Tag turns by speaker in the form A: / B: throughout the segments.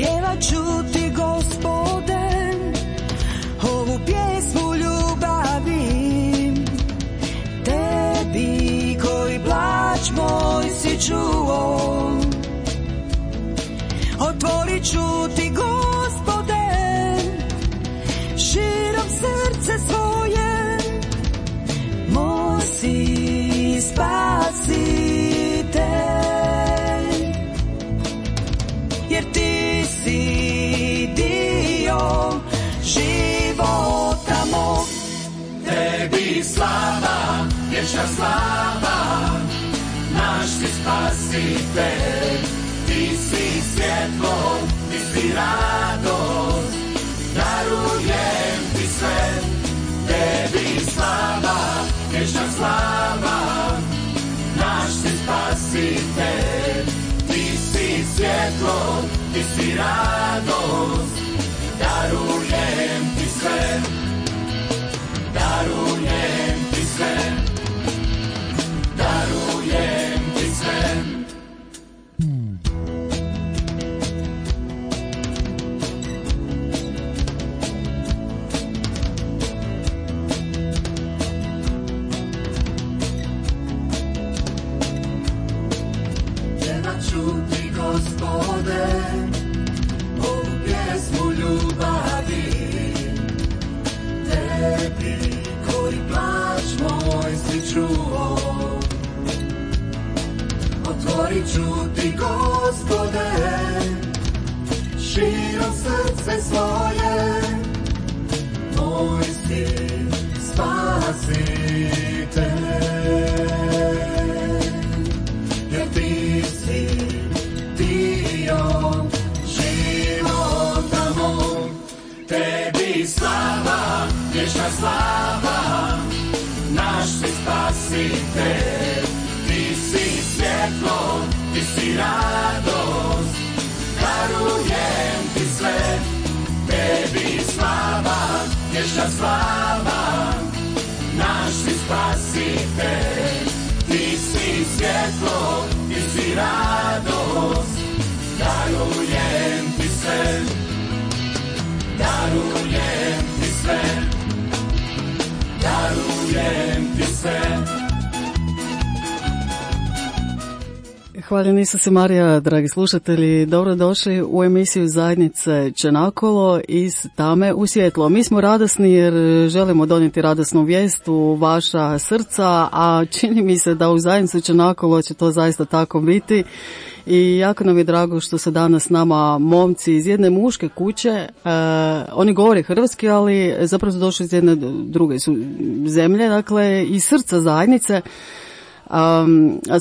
A: pjevat ću ti, Gospode, ovu pjesmu ljubavi, tebi koji plač moj si čuo. Otvorit ću ti, Gospode, širom srce svoje, moj si spasitelj, jer ti si dio života mog.
B: Tebi slava, vječna slava, naš si spasitelj, ti si svjetlo, ti si radost, darujem ti sve. Tebi slava, vječna slava, naš si spasitelj, ti si svjetlo, ti si radost, darujem ti sve, darujem ti sve, darujem ti sve. Čuti, Gospode, ovu pjesmu ljubavi, tebi koji plač moj si čuo. Otvorit ću ti, Gospode, širom srce svoje, moj si spasitelj, jer ti si dio života mog. Tebi slava, vječna slava, naš si spasitelj, ti si svjetlo, ti si radost, darujem ti sve. Tebi slava, vječna slava, naš si spasitelj, ti si svjetlo, ti si radost, darujem ti sve, darujem ti sve, darujem ti sve.
C: Hvala Isuse Marija, dragi slušatelji, dobrodošli u emisiju Zajednice Čenakolo iz tame u svjetlo. Mi smo radosni jer želimo donijeti radosnu vijest u vaša srca, a čini mi se da u Zajednicu Čenakolo će to zaista tako biti. I jako nam je drago što su danas s nama momci iz jedne muške kuće. Oni govore hrvatski, ali zapravo su došli iz jedne druge zemlje, dakle iz srca zajednice. A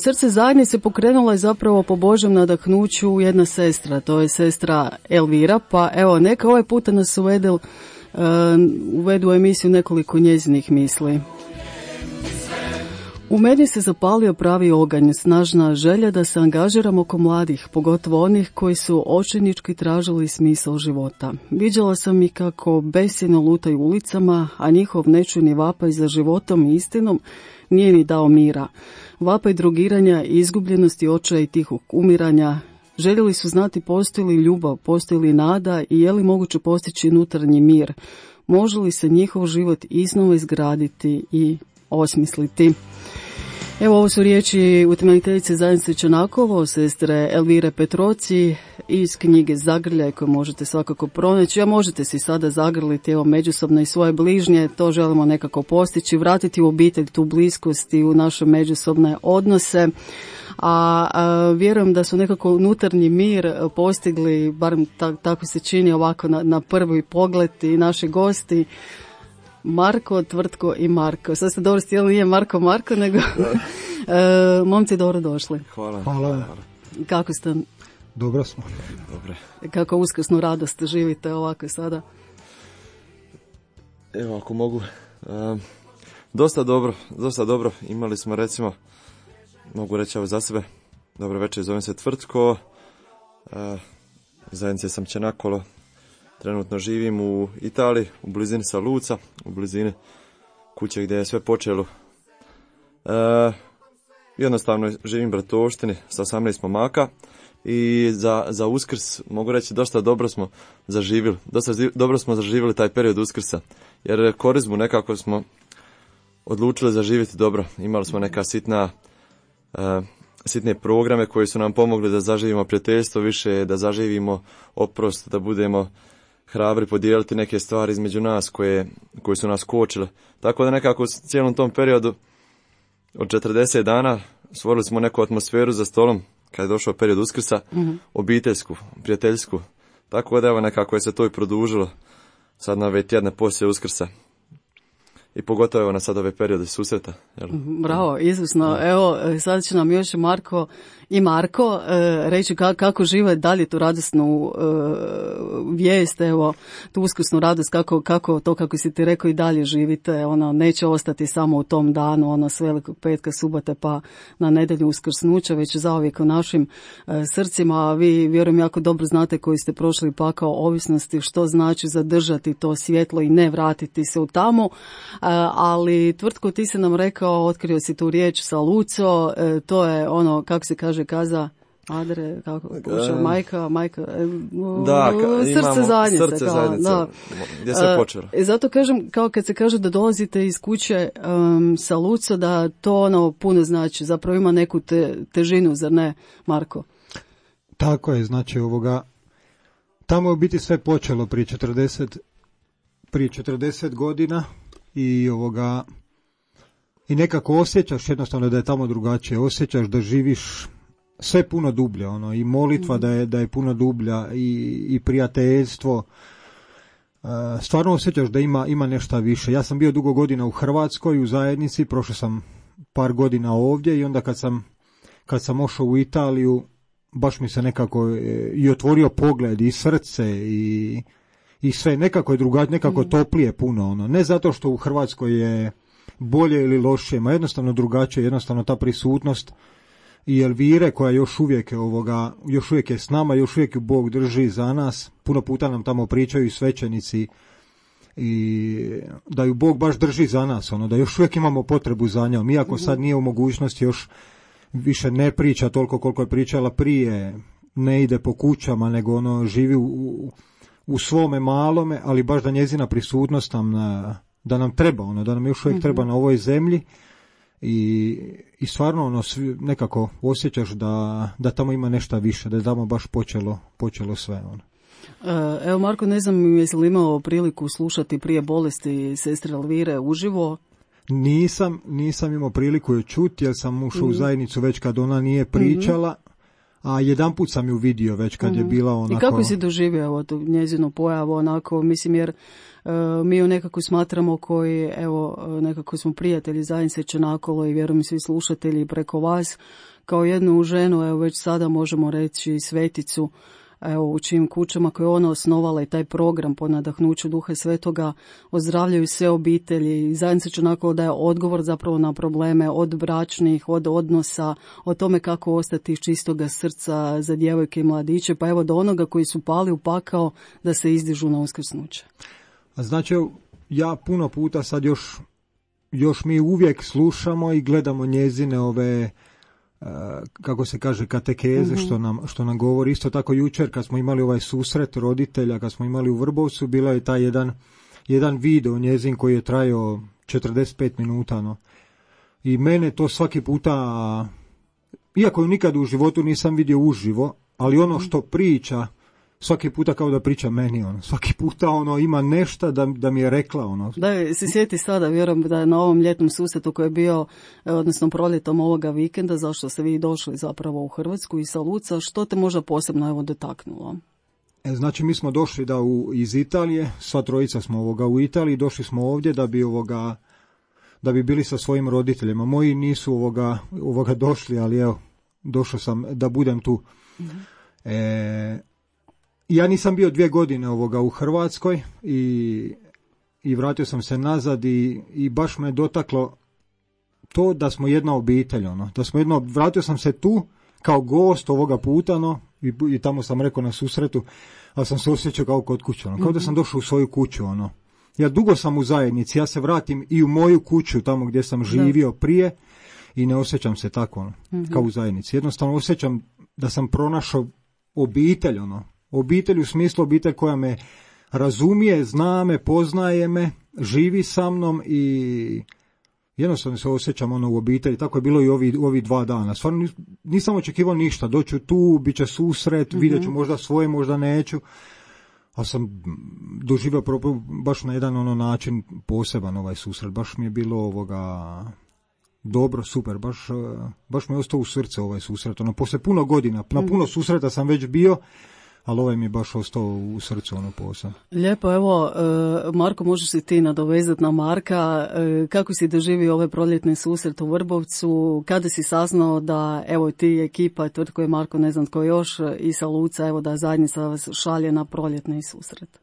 C: srce zajednice pokrenula je zapravo po Božjem nadahnuću jedna sestra, to je sestra Elvira, pa evo neka ovaj puta nas uvedu u emisiju nekoliko njezinih misli. U meni se zapalio pravi oganj, snažna želja da se angažiram oko mladih, pogotovo onih koji su očajnički tražili smisao života. Viđala sam ih kako besjeno lutaju ulicama, a njihov nečujni vapaj za životom i istinom nije ni dao mira. Vapaj drogiranja, izgubljenosti, očaja i tihog umiranja. Željeli su znati postoji li ljubav, postoji li nada i je li moguće postići unutarnji mir. Može li se njihov život iznova izgraditi i osmisliti. Evo, ovo su riječi utemeljiteljice Zajednice Čenakovo, sestre Elvire Petroci iz knjige Zagrljaj koju možete svakako pronaći, a možete si sada zagrliti evo međusobno i svoje bližnje, to želimo nekako postići, vratiti u obitelj tu bliskost i u naše međusobne odnose. A vjerujem da su nekako unutarnji mir postigli, barem tako se čini ovako na prvi pogled i naši gosti. Marko, Tvrtko i Marko. Sad ste dobro stijeli, nije Marko, nego momci dobro došli.
D: Hvala.
C: Kako ste?
D: Dobro smo.
B: Dobre.
C: Kako uskrsnu radost živite ovako sada?
B: Evo, ako mogu. Dosta dobro. Imali smo, recimo, mogu reći za sebe. Dobro večer, zovem se Tvrtko. Zajednice sam Čenakolo. Trenutno živim u Italiji, u blizini Saluca, u blizini kuće gdje je sve počelo. Jednostavno živim u bratovštini sa 18 momaka i za Uskrs mogu reći dosta dobro smo zaživjeli taj period Uskrsa, jer Korizmu nekako smo odlučili zaživjeti dobro. Imali smo neka sitne programe koji su nam pomogli da zaživimo prijateljstvo više, da zaživimo oprost, da budemo hrabri podijeliti neke stvari između nas koje su nas kočile. Tako da nekako u cijelom tom periodu od 40 dana stvorili smo neku atmosferu za stolom kad je došao period Uskrsa, obiteljsku, prijateljsku. Tako da evo nekako je se to i produžilo sad na ove tjedne poslije Uskrsa. I pogotovo na sad ove periode susreta. Jel?
C: Bravo, izvrsno. Evo, sad će nam još Marko reći kako žive dalje tu radosnu vijest, evo, tu uskrsnu radost, kako si ti rekao i dalje živite, ono, neće ostati samo u tom danu, ono, s velikog petka, subote pa na nedjelju uskrsnuća, već zauvijek u našim srcima, a vi vjerujem jako dobro znate koji ste prošli pakao ovisnosti, što znači zadržati to svjetlo i ne vratiti se u tamo, ali Tvrtko, ti si nam rekao, otkrio si tu riječ sa Luco, to je ono, kako se kaže, kaza Adre, kako majka,
B: da,
C: srce zajednice,
B: da. Gdje se počelo.
C: Zato kažem, kao kad se kaže da dolazite iz kuće sa Luco, da to ono puno znači, zapravo ima neku težinu, zar ne, Marko?
D: Tako je, znači tamo je u biti sve počelo prije 40 godina i i nekako osjećaš jednostavno da je tamo drugačije, osjećaš da živiš sve puno dublje, i molitva da je puno dublja i prijateljstvo, stvarno osjećaš da ima nešto više. Ja sam bio dugo godina u Hrvatskoj, u zajednici, prošao sam par godina ovdje i onda kad sam ošao u Italiju, baš mi se nekako i otvorio pogled i srce i sve, nekako je drugačije, nekako toplije puno, ne zato što u Hrvatskoj je bolje ili lošije, ma jednostavno drugačije, jednostavno ta prisutnost i Elvire koja još uvijek je s nama, još uvijek ju Bog drži za nas, puno puta nam tamo pričaju i svećenici i da ju Bog baš drži za nas, da još uvijek imamo potrebu za njom, iako sad nije u mogućnosti, još više ne priča toliko koliko je pričala prije, ne ide po kućama, nego živi u svome malome, ali baš da njezina prisutnost da nam treba, da nam još uvijek treba na ovoj zemlji i stvarno nekako osjećaš da tamo ima nešto više, da je tamo baš počelo sve.
C: Evo Marko, ne znam jesi li imao priliku slušati prije bolesti sestre Elvire uživo?
D: Nisam imao priliku je čuti jer sam ušao u zajednicu već kad ona nije pričala, a jedanput sam ju vidio već kad je bila onako...
C: I kako si doživio tu njezinu pojavu onako, mislim jer mi ju nekako smatramo koji, evo, nekako smo prijatelji zajednice Čenakolo i vjerujem svi slušatelji preko vas, kao jednu ženu, evo već sada možemo reći sveticu, evo u čijim kućama koje je ona osnovala i taj program po nadahnuću Duha Svetoga ozdravljaju sve obitelji i zajednica Čenakolo daje odgovor zapravo na probleme od bračnih, od odnosa, o tome kako ostati iz čistoga srca za djevojke i mladiće, pa evo do onoga koji su pali u pakao da se izdižu na uskrsnuće.
D: Znači, ja puno puta sad još mi uvijek slušamo i gledamo njezine ove, kako se kaže, katekeze što nam govori. Isto tako jučer kad smo imali ovaj susret roditelja, kad smo imali u Vrbovcu, bilo je taj jedan video njezin koji je trajao 45 minuta. I mene to svaki puta, iako ju nikad u životu nisam vidio uživo, ali ono što priča, svaki puta kao da priča meni, svaki puta ima nešto da mi je rekla.
C: Da, se sjeti sada, vjerujem da je na ovom ljetnom susretu koji je bio, odnosno proljetom ovoga vikenda, zašto ste vi došli zapravo u Hrvatsku i sa Luca, što te možda posebno dotaknulo?
D: Znači mi smo došli iz Italije, sva trojica smo u Italiji, došli smo ovdje da bi bili sa svojim roditeljima. Moji nisu došli, ali evo, došao sam da budem tu. Ja nisam bio 2 godine u Hrvatskoj i vratio sam se nazad i baš me dotaklo to da smo jedna obitelj, vratio sam se tu kao gost ovoga puta, i tamo sam rekao na susretu, ali sam se osjećao kao kod kuće, kao da sam došao u svoju kuću, Ja dugo sam u zajednici, ja se vratim i u moju kuću tamo gdje sam živio prije i ne osjećam se tako, kao u zajednici. Jednostavno osjećam da sam pronašao obitelj, obitelj u smislu obitelj koja me razumije, zna me, poznaje me, živi sa mnom i jednostavno se osjećam u obitelji. Tako je bilo i ovi 2 dana. Stvarno nisam očekivao ništa. Doću tu, bit će susret, vidjet ću možda svoje, možda neću. Ali sam doživio baš na jedan način poseban ovaj susret. Baš mi je bilo dobro, super. Baš mi je ostao u srce ovaj susret. Poslije puno godina, na puno susreta sam već bio, ali ovaj mi je baš ostao u srcu posao.
C: Lijepo, evo, Marko, možeš si ti nadovezati na Marka. Kako si doživio ovaj proljetni susret u Vrbovcu? Kada si saznao da, evo, ti ekipa, tvrtko je Marko, ne znam tko još, i sa Luca, evo, da zajednica vas šalje na proljetni susret?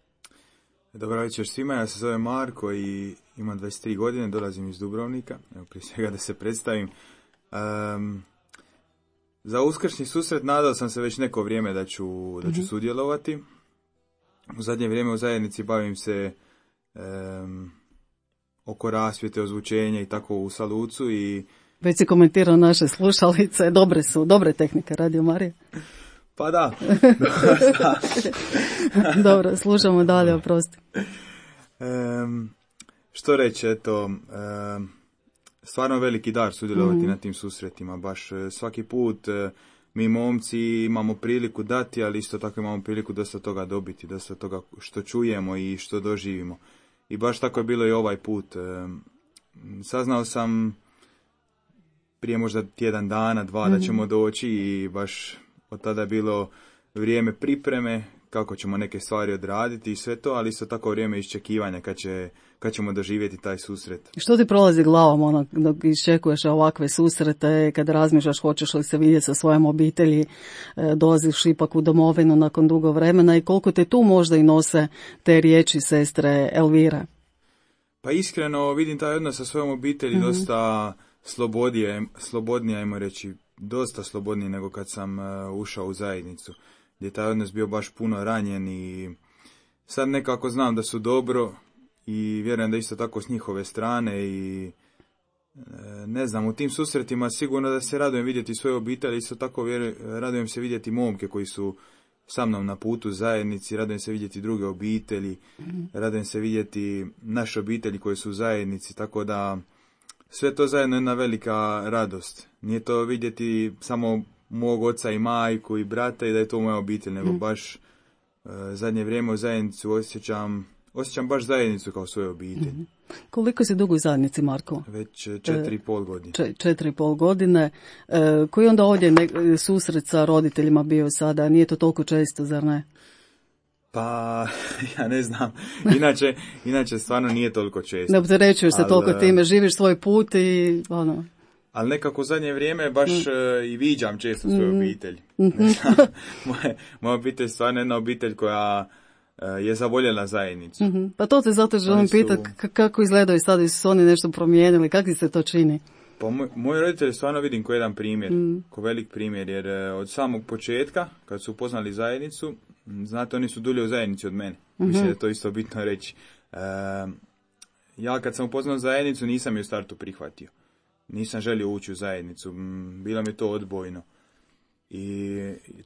E: Dobro večer svima, ja se zovem Marko i imam 23 godine, dolazim iz Dubrovnika. Evo, prije svega da se predstavim. Za uskršnji susret nadao sam se već neko vrijeme da ću sudjelovati. U zadnje vrijeme u zajednici bavim se oko rasvjete, ozvučenja i tako u Salucu i...
C: Već si komentirao naše slušalice, dobre tehnike Radio Marija.
E: Pa da.
C: Dobro, slušamo dalje, oprosti.
E: Što reći, eto... Stvarno veliki dar sudjelovati na tim susretima, baš svaki put mi momci imamo priliku dati, ali isto tako imamo priliku dosta toga dobiti, dosta toga što čujemo i što doživimo. I baš tako je bilo i ovaj put. Saznao sam prije možda tjedan dana, 2 da ćemo doći i baš od tada je bilo vrijeme pripreme, kako ćemo neke stvari odraditi i sve to, ali isto tako vrijeme iščekivanja kad ćemo doživjeti taj susret.
C: Što ti prolazi glavom dok iščekuješ ovakve susrete, kad razmišljaš hoćeš li se vidjeti sa svojom obitelji, dolaziš ipak u domovinu nakon dugo vremena i koliko te tu možda i nose te riječi sestre Elvire?
E: Pa iskreno vidim taj odnos sa svojom obitelji dosta slobodnije, ajmo reći, dosta slobodnije nego kad sam ušao u zajednicu, gdje je taj odnos bio baš puno ranjen i sad nekako znam da su dobro i vjerujem da isto tako s njihove strane i ne znam, u tim susretima sigurno da se radujem vidjeti svoje obitelji, isto tako radujem se vidjeti momke koji su sa mnom na putu zajednici, radujem se vidjeti druge obitelji, radujem se vidjeti naše obitelji koje su u zajednici, tako da sve to zajedno je jedna velika radost. Nije to vidjeti samo mog oca i majku i brata i da je to moja obitelj, nego baš zadnje vrijeme u zajednicu osjećam baš zajednicu kao svoju obitelj.
C: Koliko si dugo u zajednici, Marko?
E: Već 4,5 godine.
C: 4,5 godine. Koji onda ovdje susret sa roditeljima bio sada? Nije to toliko često, zar ne?
E: Pa, ja ne znam. Inače stvarno nije toliko često.
C: Ne opterećuješ se toliko time, živiš svoj put i ono...
E: Ali nekako u zadnje vrijeme baš i viđam često svoju obitelj. Moja obitelj je stvarno jedna obitelj koja je zavoljela zajednicu.
C: Pa to te zato želim pitati kako izgledaju sada, su oni nešto promijenili, kako se to čini?
E: Pa moji roditelji stvarno vidim ko jedan primjer, ko velik primjer, jer od samog početka, kad su upoznali zajednicu, znate, oni su dulje u zajednici od mene. Mislim da je to isto bitno reći. Ja kad sam upoznao zajednicu nisam je u startu prihvatio. Nisam želio ući u zajednicu, bilo mi to odbojno. I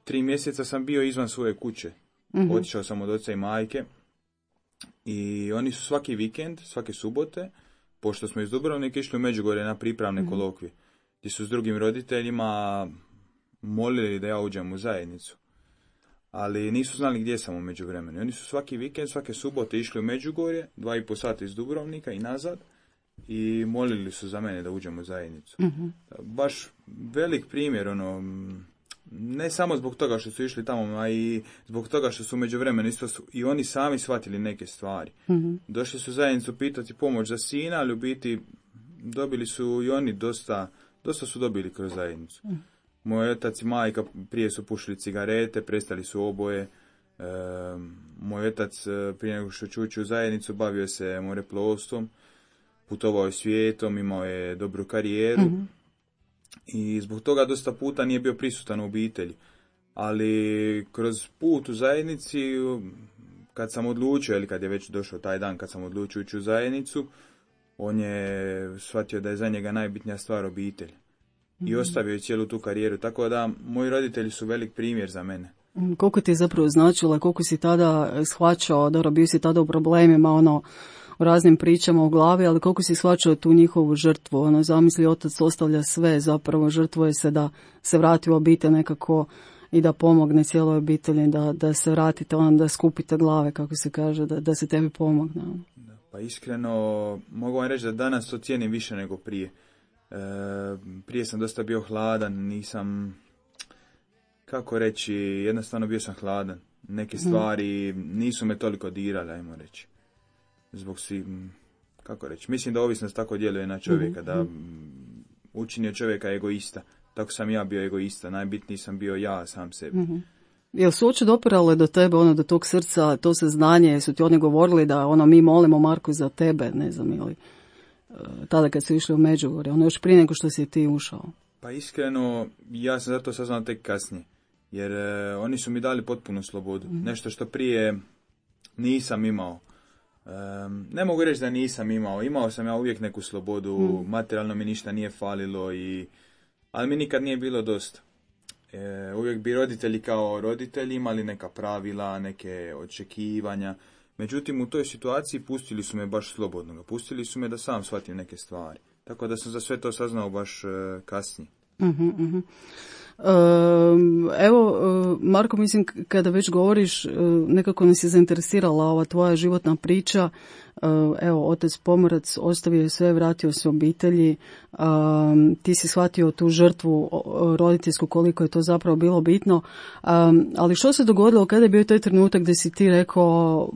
E: 3 mjeseca sam bio izvan svoje kuće. Otišao sam od oca i majke i oni su svaki vikend, svake subote, pošto smo iz Dubrovnika išli u Međugorje na pripravne kolokvije, gdje su s drugim roditeljima molili da ja uđem u zajednicu. Ali nisu znali gdje sam u međuvremenu. Oni su svaki vikend, svake subote išli u Međugorje, 2,5 sata iz Dubrovnika i nazad, i molili su za mene da uđem u zajednicu. Baš velik primjer, ne samo zbog toga što su išli tamo, a i zbog toga što su u međuvremenu isto su i oni sami shvatili neke stvari. Došli su u zajednicu pitati pomoć za sina, ali u biti dobili su i oni dosta su dobili kroz zajednicu. Moj otac i majka prije su pušili cigarete, prestali su oboje. Moj otac prije nego što će ući u zajednicu bavio se moreplovstvom, putovao je svijetom, imao je dobru karijeru i zbog toga dosta puta nije bio prisutan u obitelji. Ali kroz put u zajednici, kad sam odlučio, ili kad je već došao taj dan kad sam odlučio ući u zajednicu, on je shvatio da je za njega najbitnija stvar obitelj. i ostavio je cijelu tu karijeru. Tako da moji roditelji su velik primjer za mene.
C: Koliko ti je zapravo značilo, koliko si tada shvaćao, dobro, bio si tada u problemima, u raznim pričama u glavi, ali koliko si shvaćao tu njihovu žrtvu, zamisli, otac ostavlja sve, zapravo žrtvuje se da se vrati u obitelj nekako i da pomogne cijeloj obitelji, da se vratite, da skupite glave, kako se kaže, da se tebi pomogne.
E: Pa iskreno, mogu vam reći da danas to cijenim više nego prije. Prije sam dosta bio hladan, nisam, kako reći, jednostavno bio sam hladan. Neke stvari nisu me toliko dirale, ajmo reći. Zbog svi, kako reći, mislim da ovisnost tako djeluje na čovjeka, da učini od čovjeka egoista. Tako sam ja bio egoista, najbitniji sam bio ja sam sebi.
C: Jel su uopće dopirale do tebe, do tog srca, to saznanje, su ti oni govorili da mi molimo Marko za tebe, ne znam, ili tada kad su išli u Međugorje, još prije nego što si ti ušao?
E: Pa iskreno, ja sam zato saznao tek kasnije, jer oni su mi dali potpunu slobodu, nešto što prije nisam imao. Ne mogu reći da nisam imao sam ja uvijek neku slobodu, materijalno mi ništa nije falilo, ali mi nikad nije bilo dosta. Uvijek bi roditelji kao roditelji imali neka pravila, neke očekivanja, međutim u toj situaciji pustili su me baš slobodno, pustili su me da sam shvatim neke stvari, tako da sam za sve to saznao baš kasnije.
C: Evo, Marko, mislim, kada već govoriš, nekako nas je zainteresirala ova tvoja životna priča. Evo, otac pomorac, ostavio je sve, vratio se obitelji, ti si shvatio tu žrtvu roditeljsku, koliko je to zapravo bilo bitno, ali što se dogodilo kada je bio taj trenutak gdje si ti rekao,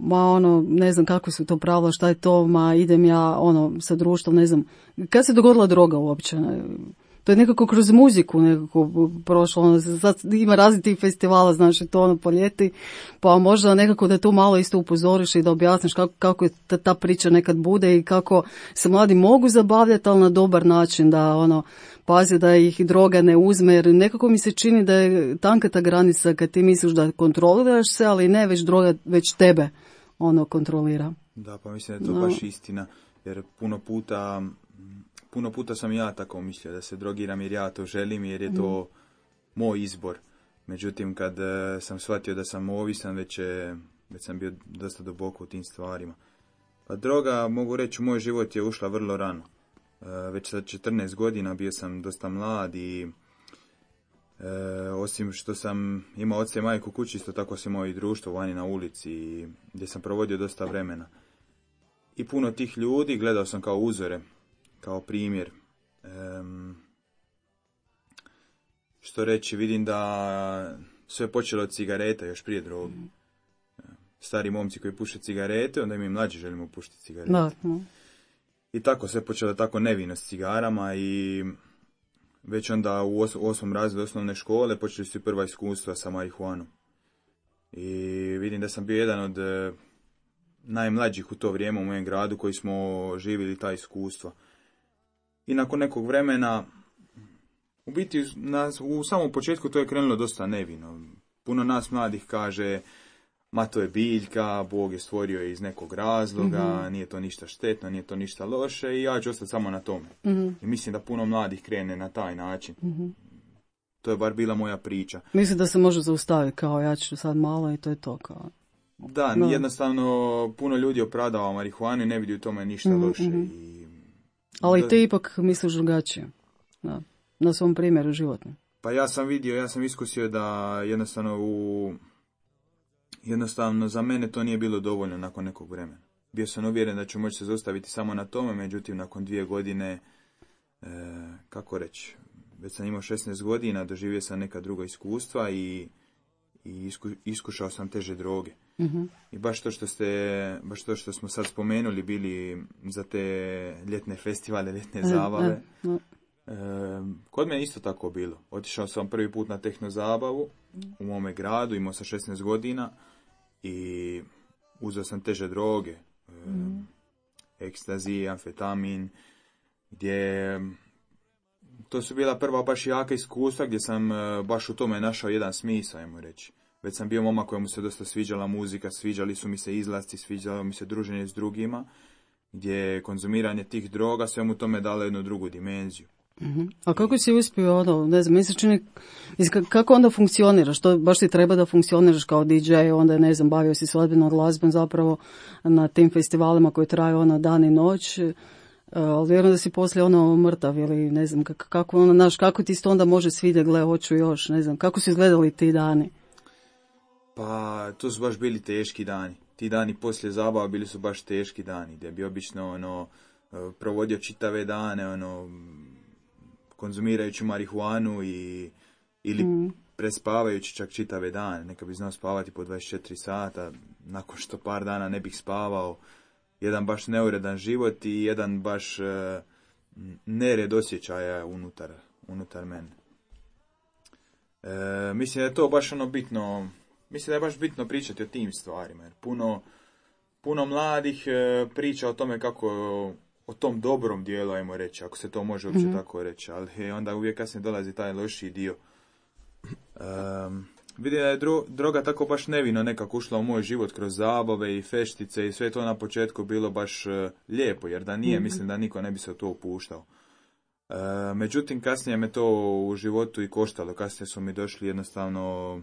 C: ne znam kako su to pravila, šta je to, idem ja, sa društvom, ne znam, kad se dogodila droga uopće? To je nekako kroz muziku nekako prošlo, sad ima različitih festivala, znaš, to po ljeti, pa možda nekako da tu malo isto upozoriš i da objasniš kako je ta priča nekad bude i kako se mladi mogu zabavljati, ali na dobar način, da pazi da ih droga ne uzme, jer nekako mi se čini da je tanka ta granica kad ti misliš da kontroliraš se, ali ne već droga, već tebe kontrolira.
E: Da, pa mislim da je to baš istina, jer puno puta sam ja tako mislio da se drogiram jer ja to želim, jer je to moj izbor. Međutim, kad sam shvatio da sam ovisan, već sam bio dosta duboko u tim stvarima. Pa droga, mogu reći, u moj život je ušla vrlo rano. Već sa 14 godina bio sam dosta mlad i osim što sam imao oca i majku kući, isto tako sam imao i društvo vani na ulici gdje sam provodio dosta vremena. I puno tih ljudi gledao sam kao uzore, kao primjer. Što reći, vidim da sve počelo od cigareta još prije droge. Stari momci koji puše cigarete, onda mi mlađi želimo pušiti cigarete.
C: Da.
E: I tako sve počelo tako nevino s cigarama i već onda u 8. razredu osnovne škole počeli su prva iskustva sa marihuanom. I vidim da sam bio jedan od najmlađih u to vrijeme u mojem gradu koji smo živjeli ta iskustva. I nakon nekog vremena, u biti u samom početku to je krenulo dosta nevino. Puno nas mladih kaže, ma to je biljka, Bog je stvorio je iz nekog razloga, nije to ništa štetno, nije to ništa loše i ja ću ostati samo na tome. I mislim da puno mladih krene na taj način. To je bar bila moja priča.
C: Mislim da se može zaustaviti kao ja ću sad malo i to je to kao.
E: Da, jednostavno puno ljudi opravdava marihuanu i ne vidi u tome ništa loše.
C: Ali ti ipak misliš drugačije, na svom primjeru životnom.
E: Pa ja sam iskusio da jednostavno za mene to nije bilo dovoljno nakon nekog vremena. Bio sam uvjeren da ću moći se zaustaviti samo na tome, međutim nakon 2 godine, kako reći, već sam imao 16 godina, doživio sam neka druga iskustva i iskušao sam teže droge. I baš to što smo sad spomenuli bili za te ljetne festivale, ljetne zabave. Kod mene isto tako bilo. Otišao sam prvi put na tehno zabavu u mome gradu, imao sam 16 godina i uzeo sam teže droge. Ekstazi, amfetamin, gdje to su bila prva baš jaka iskustva gdje sam baš u tome našao jedan smisao, ajmo reći. Već sam bio momak kojemu se dosta sviđala muzika, sviđali su mi se izlasci, sviđalo mi se druženje s drugima, gdje konzumiranje tih droga sve mu tome dalo jednu drugu dimenziju.
C: A kako si uspio, ne znam, kako onda funkcioniraš? To baš ti treba da funkcioniraš kao DJ, onda, ne znam, bavio si se ozbiljno glazbom zapravo na tim festivalima koji traju dan i noć, ali vjerujem da si poslije mrtav ili ne znam, kako ti se to onda može svidjeti, gle, hoću još, ne znam, kako su izgledali ti dani?
E: Pa, to su baš bili teški dani. Ti dani poslije zabava bili su baš teški dani, gdje bi obično, provodio čitave dane, konzumirajući marihuanu ili prespavajući čak čitave dane. Neka bi znao spavati po 24 sata, nakon što par dana ne bih spavao. Jedan baš neuredan život i jedan baš nered osjećaja unutar mene. Mislim da je to baš bitno, mislim da je baš bitno pričati o tim stvarima, jer puno mladih priča o tome kako o tom dobrom dijelu, ajmo reći, ako se to može uopće tako reći, ali onda uvijek kasnije dolazi taj lošiji dio. Vidim da je droga tako baš nevino nekako ušla u moj život kroz zabave i feštice i sve to na početku bilo baš lijepo, jer da nije, mislim da niko ne bi se u to upuštao. Međutim, kasnije me to u životu i koštalo, kasnije su mi došli jednostavno,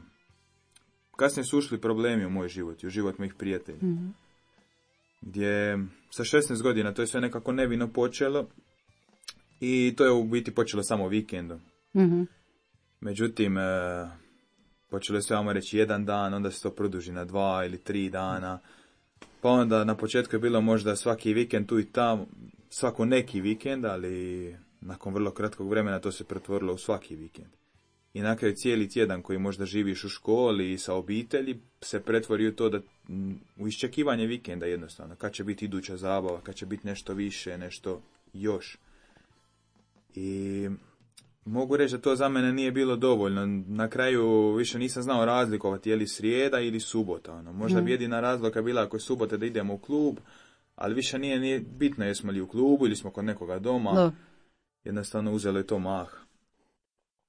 E: kasnije su ušli problemi u moj život i u život mojih prijatelja. Gdje sa 16 godina to je sve nekako nevino počelo i to je u biti počelo samo vikendom. Međutim, počelo je sve, vamo reći, jedan dan, onda se to produži na 2 ili 3 dana, pa onda na početku je bilo možda svaki vikend tu i tamo, svako neki vikend, ali nakon vrlo kratkog vremena to se pretvorilo u svaki vikend. I na kraju cijeli tjedan koji možda živiš u školi i sa obitelji se pretvori u to da u iščekivanje vikenda jednostavno. Kad će biti iduća zabava, kad će biti nešto više, nešto još. I mogu reći da to za mene nije bilo dovoljno. Na kraju više nisam znao razlikovati je li srijeda ili subota. Možda bi jedina razlika bila ako je subota da idemo u klub, ali više nije bitno jesmo li u klubu ili smo kod nekoga doma. Da. Jednostavno uzelo je to mah.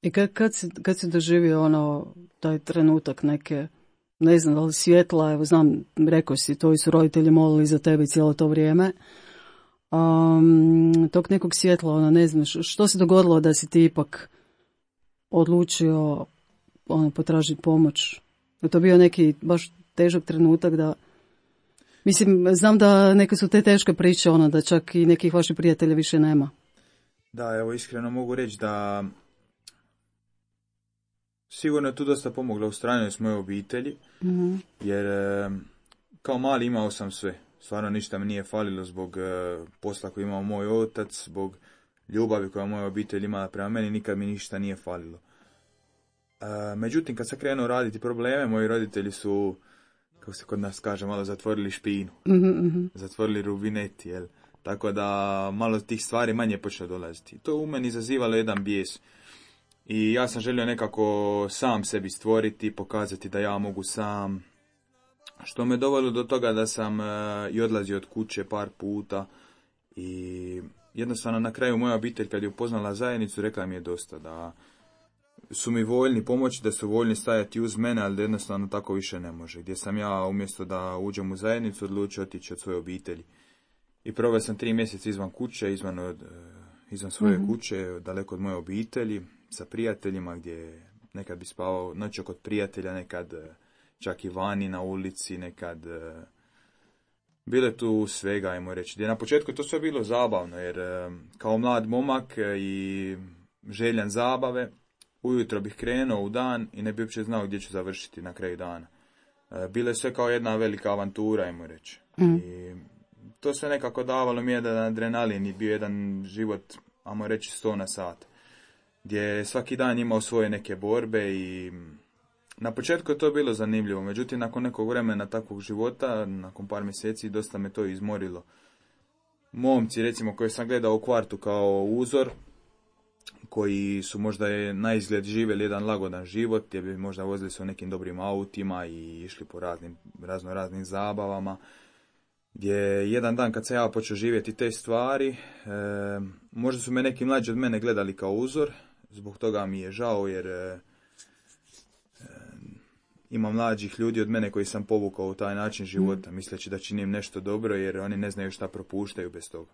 C: I kad si doživio taj trenutak neke, ne znam da li svjetla, evo znam, rekao si, to su roditelji molili za tebe cijelo to vrijeme, tog nekog svjetla, ne znam, što se dogodilo da si ti ipak odlučio potražiti pomoć? Je to bio neki baš težak trenutak da, mislim, znam da neke su te teške priče, da čak i nekih vaših prijatelja više nema.
E: Da, evo iskreno mogu reći da sigurno je tu dosta pomogla u stranju s moje obitelji, jer kao mali imao sam sve. Stvarno ništa mi nije falilo zbog posla koji imao moj otac, zbog ljubavi koja moja obitelj imala prema meni, nikad mi ništa nije falilo. Međutim, kad sam krenuo raditi probleme, moji roditelji su, kako se kod nas kaže, malo zatvorili špinu. Zatvorili rubineti, jel? Tako da malo tih stvari manje počelo dolaziti. To u meni izazivalo jedan bijes. I ja sam želio nekako sam sebi stvoriti, pokazati da ja mogu sam. Što me dovelo do toga da sam i odlazio od kuće par puta. I jednostavno na kraju moja obitelj kad je upoznala zajednicu rekla mi je dosta. Da su mi voljni pomoći, da su voljni stajati uz mene, ali da jednostavno tako više ne može. Gdje sam ja umjesto da uđem u zajednicu odlučio otići od svoje obitelji. I proveo sam 3 mjeseca izvan kuće, izvan svoje kuće, daleko od moje obitelji, sa prijateljima gdje nekad bi spavao noću kod prijatelja, nekad čak i vani na ulici, nekad bilo je tu svega, ajmo reći. Gdje na početku to sve bilo zabavno, jer kao mlad momak i željan zabave, ujutro bih krenuo u dan i ne bi uopće znao gdje ću završiti na kraju dana. Bilo je sve kao jedna velika avantura, ajmo reći. I to sve nekako davalo mi jedan adrenalin i bio jedan život, ajmo reći, 100 na sat. Gdje svaki dan imao svoje neke borbe i na početku je to bilo zanimljivo. Međutim, nakon nekog vremena takvog života, nakon par mjeseci, dosta me to izmorilo. Momci, recimo, koje sam gledao u kvartu kao uzor, koji su možda na izgled živjeli jedan lagodan život, gdje bi možda vozili se u nekim dobrim autima i išli po raznim zabavama, gdje jedan dan kad sam ja počeo živjeti te stvari, možda su me neki mlađi od mene gledali kao uzor, zbog toga mi je žao jer ima mlađih ljudi od mene koji sam povukao u taj način života, misleći da činim nešto dobro jer oni ne znaju šta propuštaju bez toga.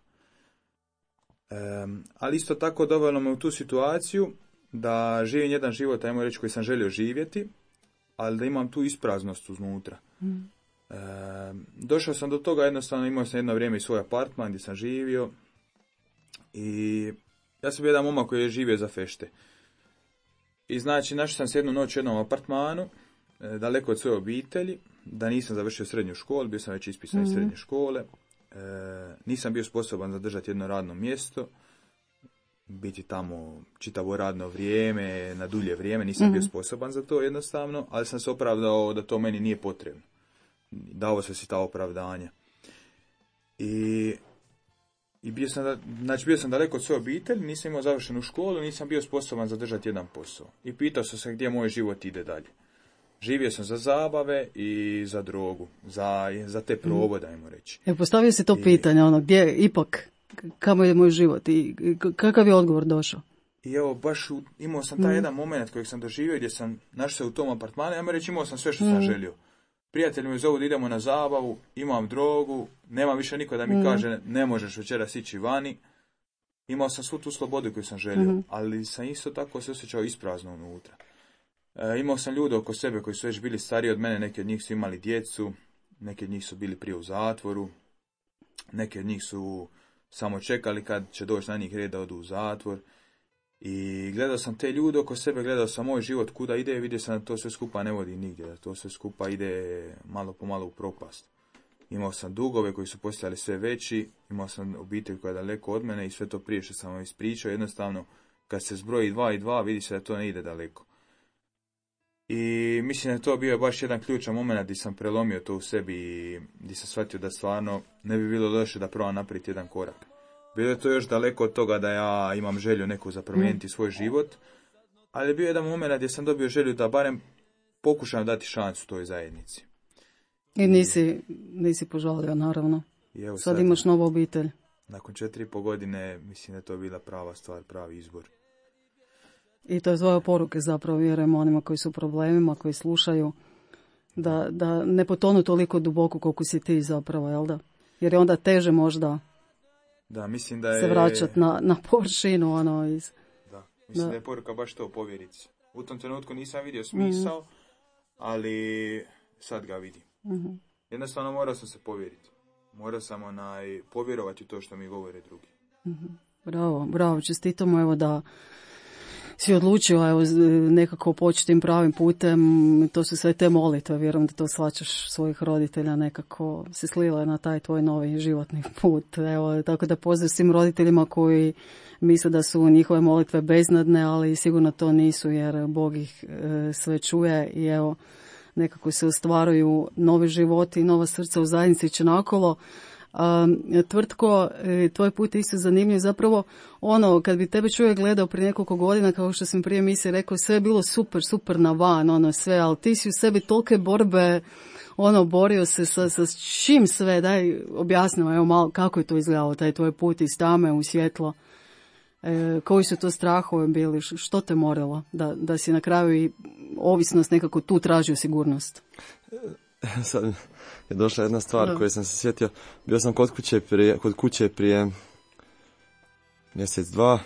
E: Ali isto tako dovelo me u tu situaciju da živim jedan život, ajmo reći, koji sam želio živjeti, ali da imam tu ispraznost uznutra. Došao sam do toga, jednostavno imao sam jedno vrijeme i svoj apartman gdje sam živio i ja sam bio jedan momak koji je živio za fešte. I znači, našao sam se jednu noć u jednom apartmanu, daleko od svoje obitelji, da nisam završio srednju školu, bio sam već ispisan iz srednje škole, nisam bio sposoban zadržati jedno radno mjesto, biti tamo čitavo radno vrijeme, na dulje vrijeme, nisam bio sposoban za to jednostavno, ali sam se opravdao da to meni nije potrebno. Dao sam si ta opravdanja. I bio sam daleko od svoje obitelji, nisam imao završenu školu, nisam bio sposoban zadržati jedan posao. I pitao sam se gdje moj život ide dalje. Živio sam za zabave i za drogu, za te probode, ajmo reći.
C: Postavio si to pitanje, gdje ipak, kamo je moj život i kakav je odgovor došao?
E: I evo, baš imao sam taj jedan moment kojeg sam doživio gdje sam našao se u tom apartmanu, ajmo reći, imao sam sve što sam želio. Prijatelji me zovu da idemo na zabavu, imam drogu, nema više niko da mi kaže ne možeš večeras ići vani. Imao sam svu tu slobodu koju sam želio, ali sam isto tako se osjećao isprazno unutra. Imao sam ljude oko sebe koji su već bili stariji od mene, neki od njih su imali djecu, neki od njih su bili prije u zatvoru, neki od njih su samo čekali kad će doći na njih red da odu u zatvor. I gledao sam te ljude oko sebe, gledao sam moj život kuda ide, vidio sam da to sve skupa ne vodi nigdje, da to sve skupa ide malo po malo u propast. Imao sam dugove koji su postajali sve veći, imao sam obitelj koja je daleko od mene i sve to prije što sam vam ispričao, jednostavno kad se zbroji 2 i 2 vidi se da to ne ide daleko. I mislim da to bio baš jedan ključan moment gdje sam prelomio to u sebi i gdje sam shvatio da stvarno ne bi bilo loše da probam napraviti jedan korak. Bilo je to još daleko od toga da ja imam želju neku za promijeniti svoj život, ali je bio jedan moment gdje sam dobio želju da barem pokušam dati šansu toj zajednici.
C: I nisi požalio, naravno.
E: I evo
C: sad imaš novu obitelj.
E: Nakon 4,5 godine mislim da je to bila prava stvar, pravi izbor.
C: I to je tvoja poruka zapravo, vjerujem onima koji su u problemima, koji slušaju, da ne potonu toliko duboko koliko si ti zapravo, jel da? Jer je onda teže možda
E: mislim da je
C: se vraćati na površinu.
E: Mislim da je poruka baš to, povjeriti se. U tom trenutku nisam vidio smisao, ali sad ga vidim. Jednostavno morao sam se povjeriti. Morao sam povjerovati u to što mi govore drugi.
C: Bravo, čestitamo evo da si odlučio nekako početi tim pravim putem, to su sve te molitve, vjerujem da to shvaćaš svojih roditelja, nekako se slile na taj tvoj novi životni put. Evo, tako da pozdrav svim roditeljima koji misle da su njihove molitve beznadne, ali sigurno to nisu jer Bog ih sve čuje i evo, nekako se ostvaruju novi životi i nova srca u zajednici Čenakolo. Tvrtko, tvoj put je isto zanimljiv. Zapravo, kad bi tebe čovjek gledao prije nekoliko godina, kao što sam prije emisije rekao, sve je bilo super na van, sve, ali ti si u sebi tolike borbe, borio se sa čim sve, daj objasnimo, evo malo, kako je to izgledalo, taj tvoj put iz tame u svjetlo, koji su to strahovi bili, što te moralo, da si na kraju i ovisnost nekako tu tražio sigurnost?
B: Sad je došla jedna stvar koju sam se sjetio. Bio sam kod kuće prije mjesec, dva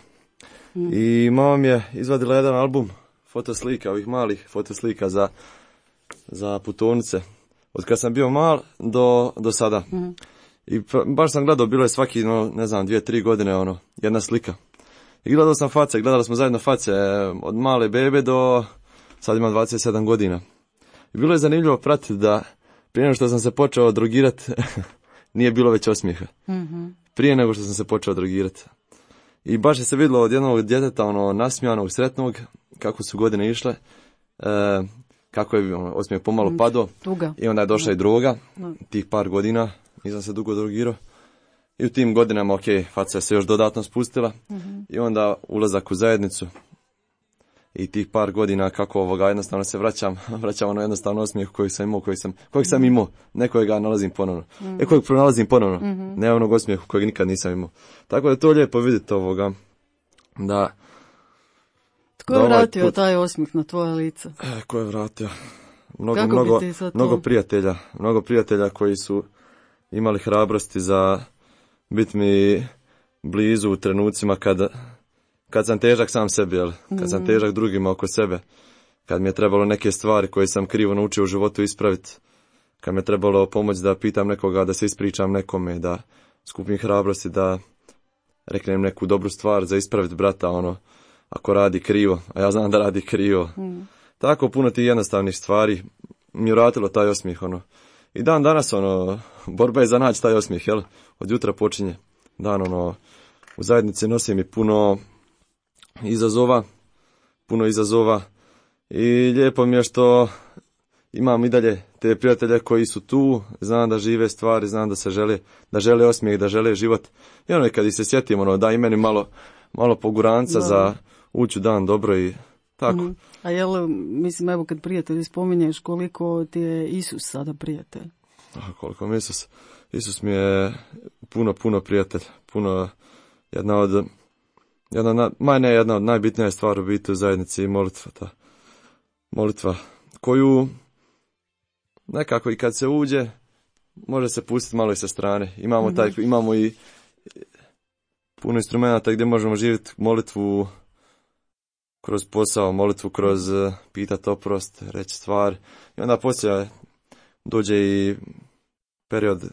B: i mama mi je izvadila jedan album fotoslika, ovih malih fotoslika za putovnice. Od kad sam bio mal do sada. I baš sam gledao, bilo je svaki, 2-3 godine, jedna slika. I gledao sam face, gledali smo zajedno face od male bebe do sad ima 27 godina. I bilo je zanimljivo pratiti da prije nego što sam se počeo drogirati, nije bilo već osmijeha. Prije nego što sam se počeo drogirati. I baš je se vidjelo od jednog djeteta, nasmijanog, sretnog, kako su godine išle, kako je osmijeh pomalo padao. I onda je došla i droga, tih par godina, nisam se dugo drogirao. I u tim godinama, faca se još dodatno spustila. I onda ulazak u zajednicu. I tih par godina kako jednostavno se vraćam jednostavno osmijeh kojeg sam imao, nekojega nalazim ponovno. Kojeg pronalazim ponovno, ne onog osmijehu kojeg nikad nisam imao. Tako da je to lijepo vidjeti da...
C: Tko je vratio taj osmijeh na tvoje lice?
B: Ko je vratio? Mnogo prijatelja koji su imali hrabrosti za biti mi blizu u trenucima kad sam težak sam sebi, jel? Kad sam težak drugima oko sebe, kad mi je trebalo neke stvari koje sam krivo naučio u životu ispraviti, kad mi je trebalo pomoći da pitam nekoga, da se ispričam nekome, da skupim hrabrosti, da reknem neku dobru stvar za ispraviti brata, ako radi krivo, a ja znam da radi krivo. Tako puno tih jednostavnih stvari mi je vratilo taj osmijeh, I dan danas, borba je za naći taj osmijeh, jel? Od jutra počinje dan, u zajednici nosim i puno izazova i lijepo mi je što imam i dalje te prijatelje koji su tu, znam da žive stvari, znam da žele osmijeh, da žele život. I kad ih se sjetim, da i meni malo poguranca za ući dan dobro i tako.
C: A jel, mislim, evo kad prijatelji spominješ, koliko ti je Isus sada prijatelj?
B: Koliko mi Isus mi je puno prijatelj, jedna od najbitnija stvar u biti u zajednici i molitva koju nekako i kad se uđe može se pustiti malo i sa strane. Imamo i puno instrumenta gdje možemo živjeti molitvu kroz posao, molitvu kroz pitati oprost, reći stvar. I onda poslije dođe i period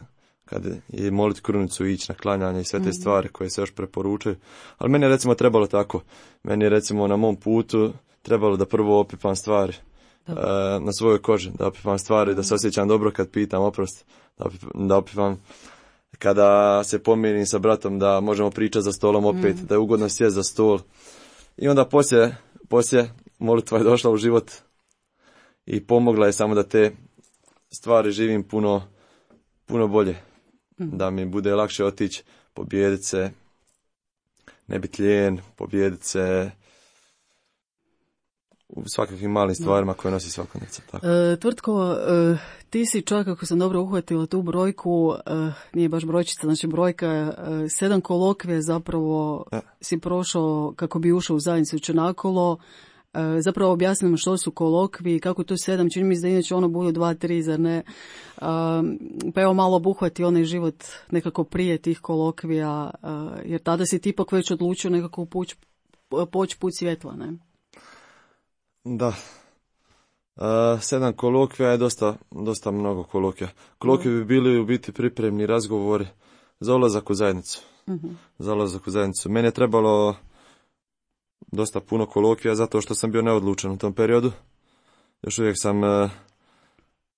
B: kad je moliti krunicu, ići na klanjanje i sve te stvari koje se još preporučuju. Ali meni je recimo trebalo tako. Meni je recimo na mom putu trebalo da prvo opipam stvari na svojoj koži, da opipam stvari, da se osjećam dobro kad pitam oprost, da opipam kada se pomirim sa bratom, da možemo pričati za stolom opet, da je ugodno sjesti za stol. I onda poslije molitva je došla u život i pomogla je samo da te stvari živim puno bolje. Da mi bude lakše otići, pobijediti se, ne biti lijen, pobijediti se u svakakvim malim stvarima koje nosi svakodnevnica.
C: Tvrtko, ti si čak, ako sam dobro uhvatila tu brojku, nije baš brojčica, znači brojka, 7 kolokvija zapravo si prošao kako bi ušao u zajednicu Čenakolo. Zapravo objasnim što su kolokvi, kako to 7, čini mi se da inače budu 2-3, zar ne? Pa evo malo obuhvati onaj život nekako prije tih kolokvija, jer tada si ti ipak već odlučio nekako poći put svjetla, ne?
B: Da. 7 kolokvija je dosta mnogo kolokvija. Kolokvije bi bili u biti pripremni razgovori za ulazak u zajednicu. Za ulazak u zajednicu. Meni je trebalo dosta puno kolokvija zato što sam bio neodlučan u tom periodu. Još uvijek sam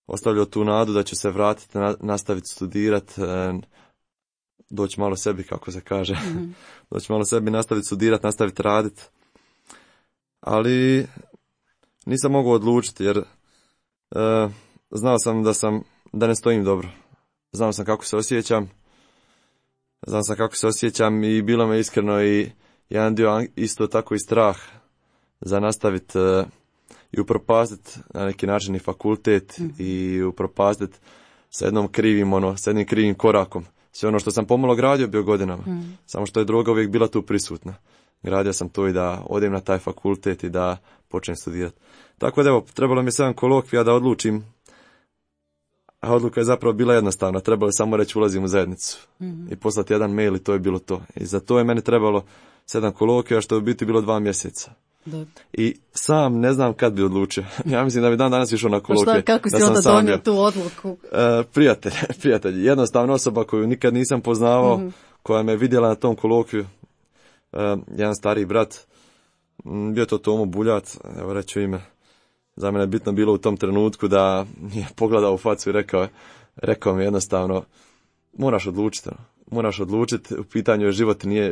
B: ostavljao tu nadu da ću se vratiti, nastaviti studirati, doći malo sebi, kako se kaže. Doći malo sebi, nastaviti studirati, nastaviti raditi. Ali nisam mogao odlučiti jer znao sam da ne stojim dobro. Znao sam kako se osjećam i bilo me iskreno i jedan dio isto tako i strah za nastaviti i upropastiti na neki način i fakultet i upropastiti sa jednim krivim korakom. Sve ono što sam pomalo gradio bio godinama, samo što je droga uvijek bila tu prisutna. Gradio sam to i da odem na taj fakultet i da počnem studirati. Tako da evo, trebalo mi je 7 kolokvija da odlučim, a odluka je zapravo bila jednostavna. Trebalo je samo reći ulazim u zajednicu i poslati jedan mail i to je bilo to. I za to je meni trebalo 7 kolokvija, što je u biti bilo 2 mjeseca. Da. I sam ne znam kad bi odlučio. Ja mislim da bi dan danas išao na kolokvije.
C: Kako si onda donio tu odluku?
B: Prijatelj. Jednostavna osoba koju nikad nisam poznavao, koja me vidjela na tom kolokviju. Jedan stariji brat, bio to Tomo Buljat, evo reću ime. Za mene je bitno bilo u tom trenutku da je pogledao u facu i rekao mi jednostavno, moraš odlučiti, u pitanju je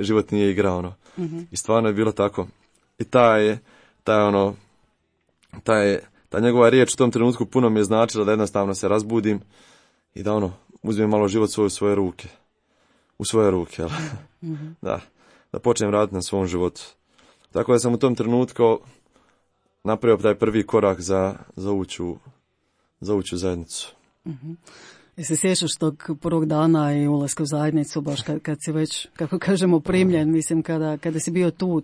B: život nije igra, I stvarno je bilo tako. I ta njegova riječ u tom trenutku puno mi je značila da jednostavno se razbudim i da uzmem malo život u svoje ruke. U svoje ruke, jel? Da počnem raditi na svom životu. Tako da sam u tom trenutku napravio taj prvi korak za ući u zajednicu.
C: Se sjećaš tog prvog dana i ulaska u zajednicu, baš kad si već, kako kažemo, primljen, mislim, kada si bio tu,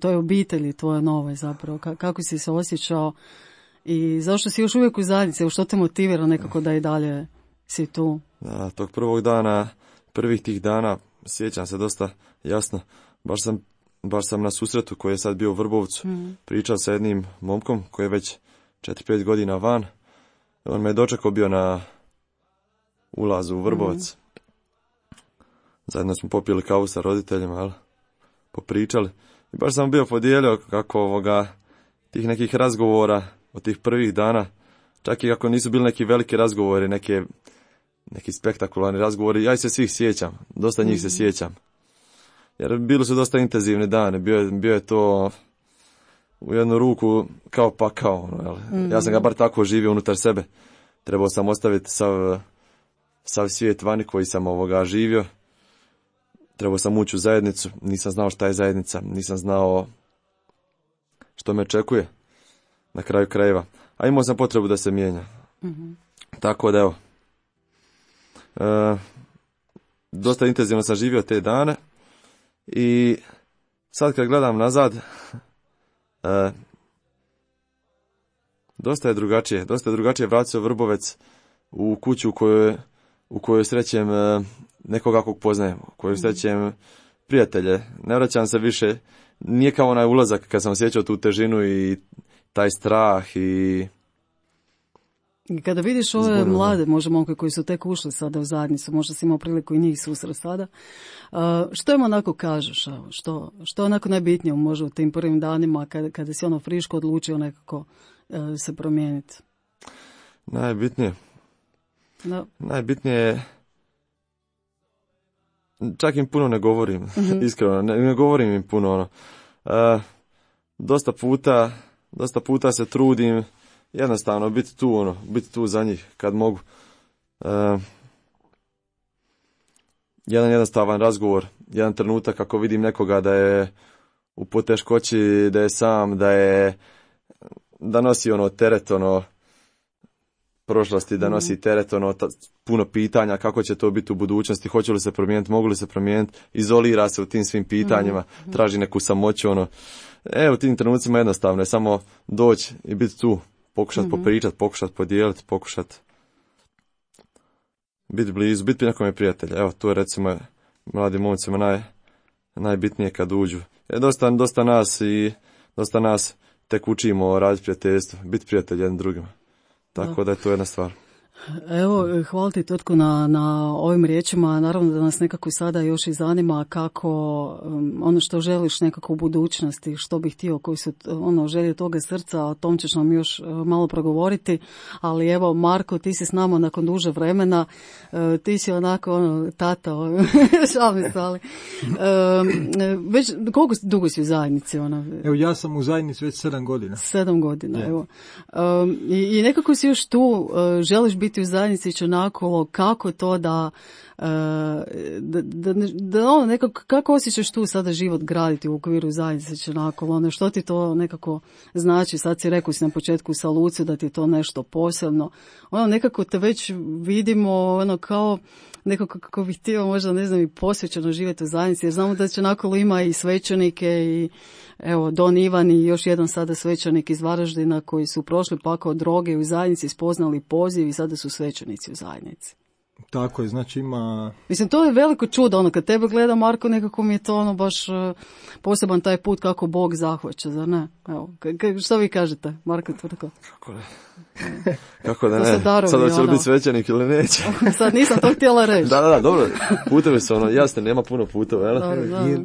C: toj obitelji tvoje nove zapravo, kako si se osjećao i zašto si još uvijek u zajednici, što te motivira nekako da i dalje si tu?
B: Da, tog prvih tih dana sjećam se dosta jasno. Baš sam na susretu koji je sad bio u Vrbovcu pričao sa jednim momkom koji je već 4-5 godina van. On me je dočekao bio na ulazu u Vrbovac. Zajedno smo popili kavu sa roditeljima, popričali. I baš sam bio podijelio kako tih nekih razgovora od tih prvih dana, čak i kako nisu bili neki veliki razgovori, neki spektakularni razgovori, ja se svih sjećam, dosta njih se sjećam. Jer bili su dosta intenzivni dani, bio je to u jednu ruku kao pakao. Ja sam ga bar tako živio unutar sebe. Trebao sam ostaviti sav svijet vani koji sam živio. Trebao sam ući u zajednicu, nisam znao šta je zajednica, nisam znao što me očekuje na kraju krajeva. A imao sam potrebu da se mijenja. Tako da evo, dosta intenzivno sam živio te dane i sad kad gledam nazad, dosta je drugačije vratiti se u Vrbovec, u kuću u kojoj srećem nekoga kog poznajem, u kojoj srećem prijatelje. Ne vraćam se više, nije kao onaj ulazak kad sam osjećao tu težinu i taj strah i
C: kada vidiš ove mlade, možda momke koji su tek ušli sada u zajednicu, možda si imao priliku i njih susret sada, što im onako kažeš, što je onako najbitnije možda u tim prvim danima kada si friško odlučio nekako se promijeniti?
B: Najbitnije je, čak im puno ne govorim, iskreno, ne govorim im puno, dosta puta se trudim jednostavno biti tu za njih kad mogu. Jedan jednostavan razgovor, jedan trenutak kako vidim nekoga da je u poteškoći, da je sam, da nosi teret prošlosti, da nosi teret puno pitanja kako će to biti u budućnosti, hoće li se promijeniti, mogu li se promijeniti, izolira se u tim svim pitanjima, traži neku samoću, u tim trenucima jednostavno je samo doći i biti tu, pokušati popričati, pokušati podijeliti, pokušati biti blizu, biti nekome prijatelja. Evo, to je recimo mladim momcima najbitnije kad uđu. Dosta nas tek učimo raditi prijateljstvo, biti prijatelj jedan drugima. Tako da je to jedna stvar.
C: Evo, hvala ti Totko na ovim riječima. Naravno da nas nekako sada još i zanima kako ono što želiš nekako u budućnosti, što bih htio, koji su želje toga srca, o tom ćeš nam još malo progovoriti. Ali evo, Marko, ti si s nama nakon duže vremena, ti si onako tata, šalim se, ali već koliko dugo si u zajednici?
D: Evo, ja sam u zajednici već 7 godina. 7 godina,
C: yeah. Evo. I nekako si još tu, želiš biti u zajednici onako, kako to da nekako, kako osjećaš tu sada život graditi u okviru zajednice onako, što ti to nekako znači, sad si rekao si na početku sa Luci da ti je to nešto posebno, nekako te već vidimo kao nekako kako bih htio možda ne znam i posvećeno živjeti u zajednici, jer znamo da će onako ima i svećenike i evo Don Ivan i još jedan sada svećenik iz Varaždina koji su prošli pakao droge u zajednici, spoznali poziv i sada su svećenici u zajednici.
D: Tako je, znači ima...
C: Mislim, to je veliko čudo, kad tebe gleda Marko, nekako mi je to baš poseban taj put kako Bog zahvaća, zar ne? Evo, što vi kažete, Marko Tvrtko?
B: Kako da ne? Sad hoće li biti svećenik ili neće?
C: Sad nisam to htjela reći.
B: Da, dobro, putevi su jasne, nema puno puteva,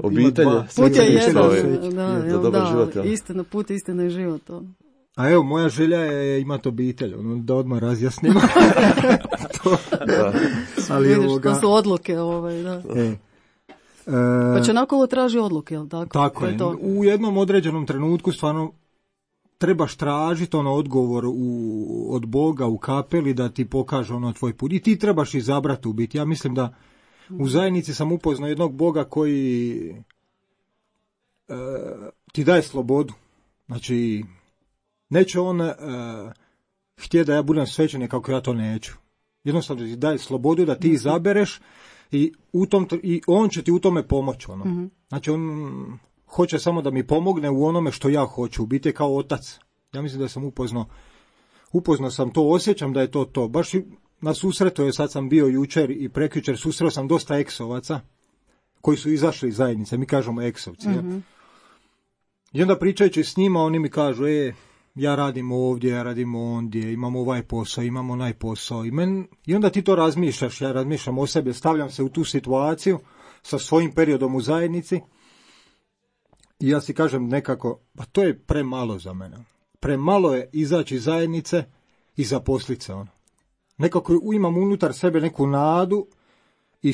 B: obitelj,
C: put je jedan,
B: za dobar život.
C: Istina, put, istina i život,
D: A evo, moja želja je imati obitelj, da odmah razjasnimo.
C: Ali vidiš, to su odluke, da. Pa će nakolo traži odluke, jel tako?
D: Tako je. U jednom određenom trenutku stvarno trebaš tražiti odgovor od Boga u kapeli da ti pokaže tvoj put. I ti trebaš izabrati u biti. Ja mislim da u zajednici sam upoznao jednog Boga koji ti daje slobodu. Znači, neće on htjeti da ja budem svećenik kako ja to neću. Jednostavno ti daje slobodu da ti izabereš i on će ti u tome pomoći. Znači on hoće samo da mi pomogne u onome što ja hoću, u biti kao otac. Ja mislim da sam upoznao sam to, osjećam da je to. Baš na susretu, sad sam bio jučer i prekjučer, susreo sam dosta eksovaca koji su izašli iz zajednice, mi kažemo eksovci. I onda pričajući s njima, oni mi kažu, ja radim ovdje, ja radim ondje, imam ovaj posao, imam onaj posao. I onda ti to razmišljaš, ja razmišljam o sebi, stavljam se u tu situaciju sa svojim periodom u zajednici i ja si kažem nekako, pa to je premalo za mene. Premalo je izaći iz zajednice i zaposlit se. Nekako imam unutar sebe neku nadu i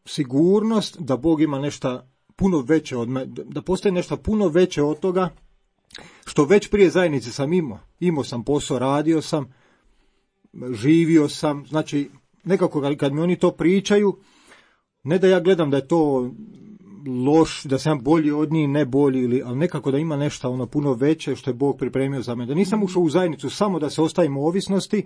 D: sigurnost da Bog ima nešto puno veće od mene, da postoji nešto puno veće od toga što već prije zajednice sam imao. Imao sam posao, radio sam, živio sam, znači nekako kad mi oni to pričaju, ne da ja gledam da je to loš, da sam bolji od njih, ne bolji, ali nekako da ima nešto puno veće što je Bog pripremio za mene. Da nisam ušao u zajednicu samo da se ostavim u ovisnosti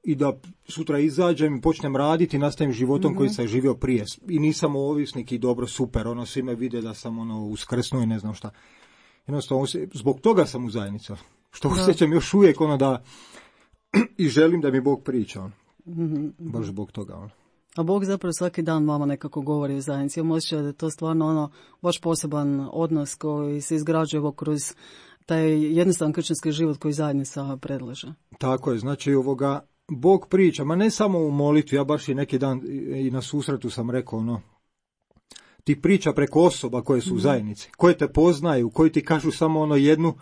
D: i da sutra izađem i počnem raditi i nastavim životom koji sam živio prije. I nisam ovisnik i dobro, super, svi me vide da sam uskrsnuo i ne znam šta. Jednostavno, zbog toga sam u zajednici. Što osjećam još uvijek da i želim da mi Bog priča. Baš zbog toga.
C: A Bog zapravo svaki dan vama nekako govori u zajednici. Imam osjećaj da je to stvarno baš poseban odnos koji se izgrađuje kroz taj jednostavan kršćanski život koji zajednica predlaže. Tako
D: je, znači Bog priča, ma ne samo u molitvi, ja baš i neki dan i na susretu sam rekao, ti priča preko osoba koje su u zajednici, koje te poznaju, koji ti kažu samo jednu,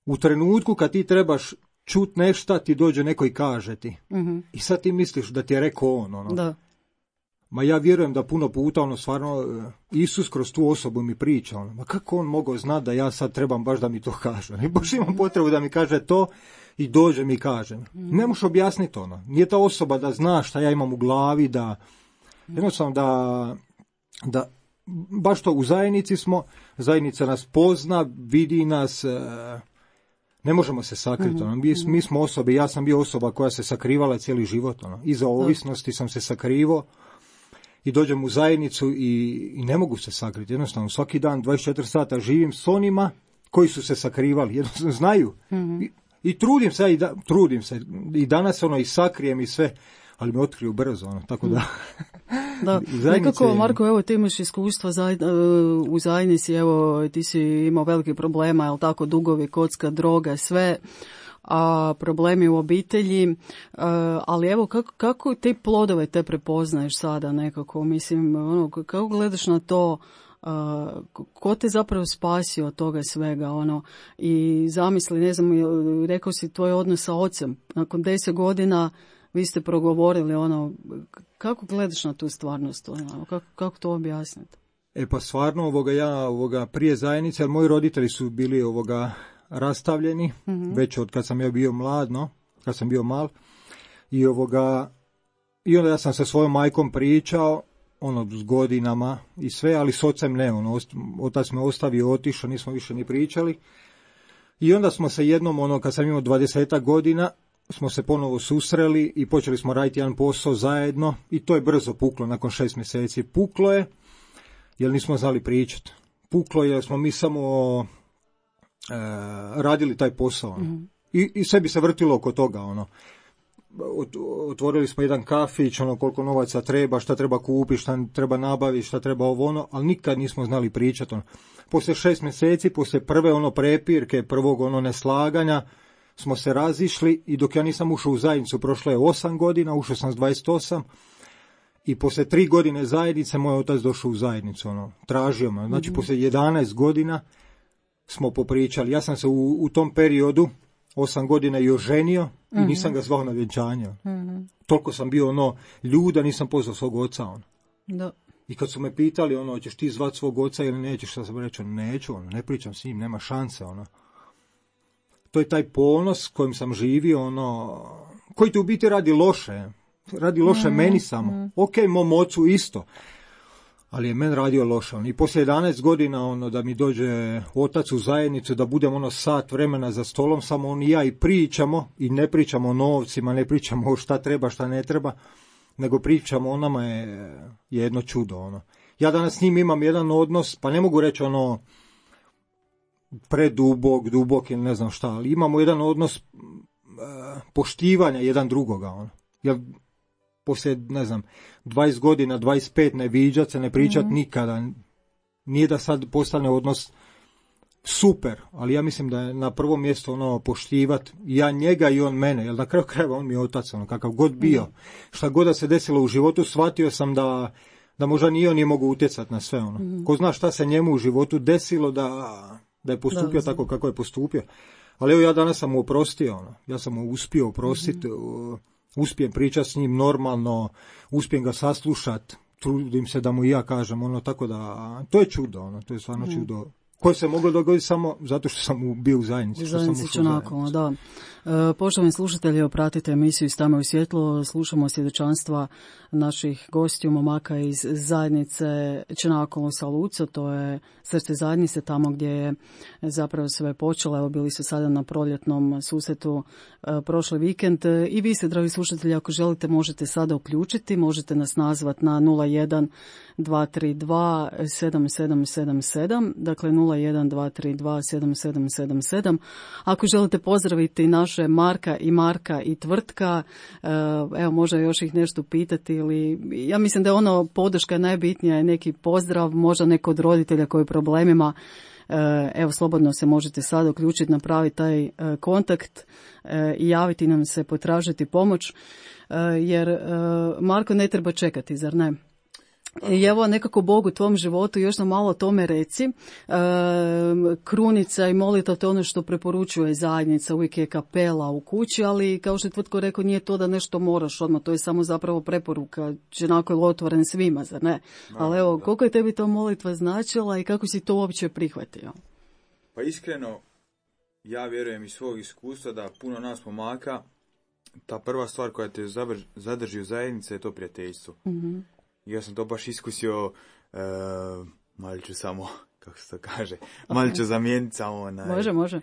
D: u trenutku kad ti trebaš čut nešto, ti dođe neko i kaže ti. I sad ti misliš da ti je rekao on.
C: Da.
D: Ma ja vjerujem da puno puta, stvarno, Isus kroz tu osobu mi priča. Ma kako on mogao znati da ja sad trebam baš da mi to kaže? I baš imam potrebu da mi kaže to i dođe mi kaže. Ne možeš objasniti Nije ta osoba da zna šta ja imam u glavi, da jednostavno da baš to u zajednici smo, zajednica nas pozna, vidi nas, ne možemo se sakriti. Mi smo osobe, ja sam bio osoba koja se sakrivala cijeli život. Iza ovisnosti sam se sakrivao i dođem u zajednicu i ne mogu se sakriti. Jednostavno, svaki dan 24 sata živim s onima koji su se sakrivali. Jednostavno, znaju. I trudim se. I danas i sakrijem i sve, ali me otkriju brzo. Tako da...
C: Da, nekako, Marko, evo ti imaš iskustva u zajednici, evo ti si imao velike problema, jel tako, dugovi, kocka, droga, sve, a problemi u obitelji, ali evo kako te plodove te prepoznaješ sada nekako, mislim, kako gledaš na to, ko te zapravo spasio od toga svega, i zamisli, ne znam, rekao si tvoj odnos sa ocem, nakon 10 godina vi ste progovorili, kako gledaš na tu stvarnost, kako to objasniti?
D: Pa stvarno, ja prije zajednice, jer moji roditelji su bili rastavljeni, već od kad sam ja bio mlad, kad sam bio mal, i onda ja sam sa svojom majkom pričao, s godinama i sve, ali s ocem ne, otac me ostavio, otišao, nismo više ni pričali. I onda smo se jednom, kad sam imao 20 godina, smo se ponovo susreli i počeli smo raditi jedan posao zajedno i to je brzo puklo, nakon 6 mjeseci. Puklo je, jer nismo znali pričati. Puklo je jer smo mi samo radili taj posao. I sve bi se vrtilo oko toga. Otvorili smo jedan kafić, koliko novaca treba, šta treba kupiti, šta treba nabaviti, šta treba ali nikad nismo znali pričati. Poslije 6 mjeseci, poslije prve prepirke, prvog neslaganja, smo se razišli i dok ja nisam ušao u zajednicu, prošlo je 8 godina, ušao sam s 28 i poslije 3 godine zajednice moj otac došao u zajednicu, tražio me. Znači, poslije 11 godina smo popričali. Ja sam se u tom periodu 8 godina i oženio i nisam ga zvao na vjenčanje. Toliko sam bio ljuda, nisam pozvao svog oca.
C: Da.
D: I kad su me pitali, hoćeš ti zvati svog oca ili nećeš, šta sam rekao, neću, ne pričam s njim, nema šanse, To je taj ponos kojim sam živio, koji ti u biti radi loše meni samo. Ok, mom ocu isto, ali je meni radio loše. I poslije 11 godina, da mi dođe otac u zajednicu, da budem sat vremena za stolom, samo on i ja i pričamo, i ne pričamo o novcima, ne pričamo o šta treba, šta ne treba, nego pričamo o nama je jedno čudo. Ja danas s njim imam jedan odnos, pa ne mogu reći dubok ili ne znam šta, ali imamo jedan odnos poštivanja jedan drugoga. Jer poslije, ne znam, 20 godina, 25 ne viđat se, ne pričat nikada. Nije da sad postane odnos super, ali ja mislim da je na prvom mjestu ono poštivat ja njega i on mene, jer na kraju krajeva on mi je otac, ono, kakav god bio. Šta god da se desilo u životu, shvatio sam da možda ni on nije mogu utjecati na sve ono. Ko zna šta se njemu u životu desilo da je postupio tako kako je postupio. Ali evo ja danas sam mu oprostio, ono. Ja sam mu uspio oprostiti, uspijem pričati s njim normalno, uspijem ga saslušati, trudim se da mu i ja kažem, ono, tako da, to je čudo, ono, to je stvarno čudo. Koje se moglo dogoditi samo zato što sam bio u zajednici.
C: Da. Poštovani slušatelji, pratite emisiju Iz tame u svjetlo, slušamo svjedočanstva naših gostiju, momaka iz zajednice Čenakolo sa Luco, to je srce zajednice, tamo gdje je zapravo sve počelo. Evo, bili su sada na proljetnom susretu prošli vikend. I vi se, dragi slušatelji, ako želite, možete sada uključiti, možete nas nazvati na 01 232 7777, dakle 01 232 7777. Ako želite pozdraviti naše Marka i tvrtka, evo, možda još ih nešto pitati, ili ja mislim da je ono podrška najbitnija, je neki pozdrav, možda neko od roditelja koji je problemima. Evo, slobodno se možete sada uključiti, napraviti taj kontakt i javiti nam se, potražiti pomoć, jer Marko, ne treba čekati, zar ne? I evo, nekako Bog u tvom životu, još nam malo o tome reci. Krunica i molitva, to je ono što preporučuje zajednica, uvijek je kapela u kući, ali kao što je Tvrtko rekao, nije to da nešto moraš odmah, to je samo zapravo preporuka, onako je otvoren svima, zar ne? Ali evo, koliko je tebi to molitva značila i kako si to uopće prihvatio?
E: Pa iskreno, ja vjerujem iz svog iskustva da puno nas pomaka, ta prva stvar koja te zadrži u zajednici je to prijateljstvo. Mm-hmm. Ja sam to baš iskusio, malo ću samo, kako se to kaže, malo ću zamijeniti samo.
C: Može.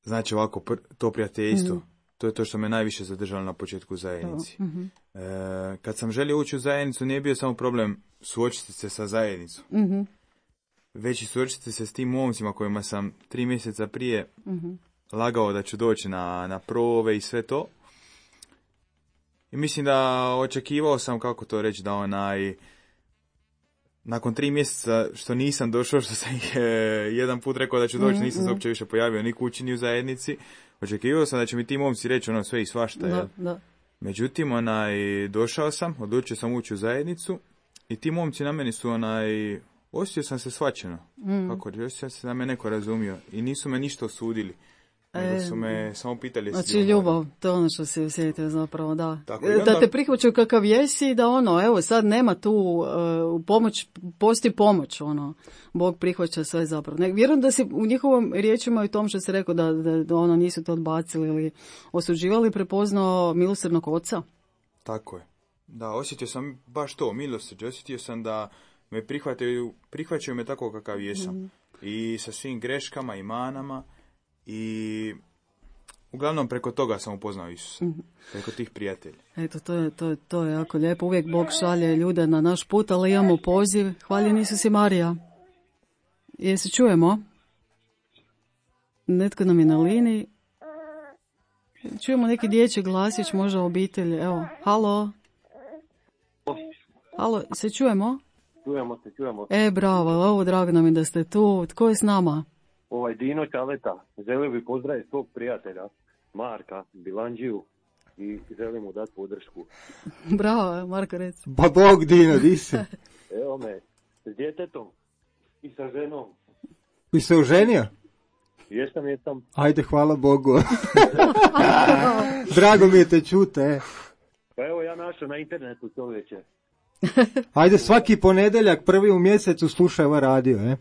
E: Znači ovako, to prijateljstvo, to je to što me najviše zadržalo na početku zajednici. Kad sam želio ući u zajednicu, nije bio samo problem suočiti se sa zajednicom, već i suočiti se s tim momcima kojima sam 3 mjeseca prije lagao da ću doći na prove i sve to. I mislim da očekivao sam, kako to reći, da nakon 3 mjeseca što nisam došao, što sam jedan put rekao da ću doći, nisam se uopće više pojavio ni kući ni u zajednici. Očekivao sam da će mi ti momci reći ono sve i svašta. Da. Međutim, došao sam, odlučio sam ući u zajednicu i ti momci na meni su osjetio sam se shvaćeno. Kako, osjetio sam se da me neko razumio i nisu me ništa osudili. Nego su me samo pitali.
C: Znači ljubav, to je ono što si osjetio zapravo, da. Da te prihvaćaju kakav jesi, da evo sad nema tu pomoć, postoji pomoć, Bog prihvaća sve zapravo. Vjerujem da si u njihovom riječima i tom što si rekao da nisu to odbacili ili osuđivali, prepoznao milosrdnog oca.
E: Tako je. Da, osjetio sam baš to, milosrđe, osjetio sam da me prihvaćaju me tako kakav jesam. I sa svim greškama i manama. I uglavnom preko toga sam upoznao Isusa, preko tih prijatelja.
C: Eto, to je jako lijepo. Uvijek Bog šalje ljude na naš put, ali imamo poziv. Hvaljen Isus i Marija. Se čujemo? Netko nam je na liniji. Čujemo neki dječji glasić, možda obitelj. Evo, halo. Halo, se čujemo?
F: Čujemo.
C: Bravo, ovo drago nam je da ste tu. Tko je s nama?
F: Dino Čaleta, želio bi pozdraviti svog prijatelja Marka Bilanđiju i želim mu dati podršku.
C: Bravo, Marko, reci.
D: Ba Bog, Dino, di se?
F: Evo me, s djetetom i sa ženom.
D: Bi se oženio?
F: Jesam.
D: Ajde, hvala Bogu. Drago mi je te čute.
F: Pa evo, ja našao na internetu čovječe.
D: Ajde, svaki ponedjeljak, prvi u mjesecu slušaj ovaj radio,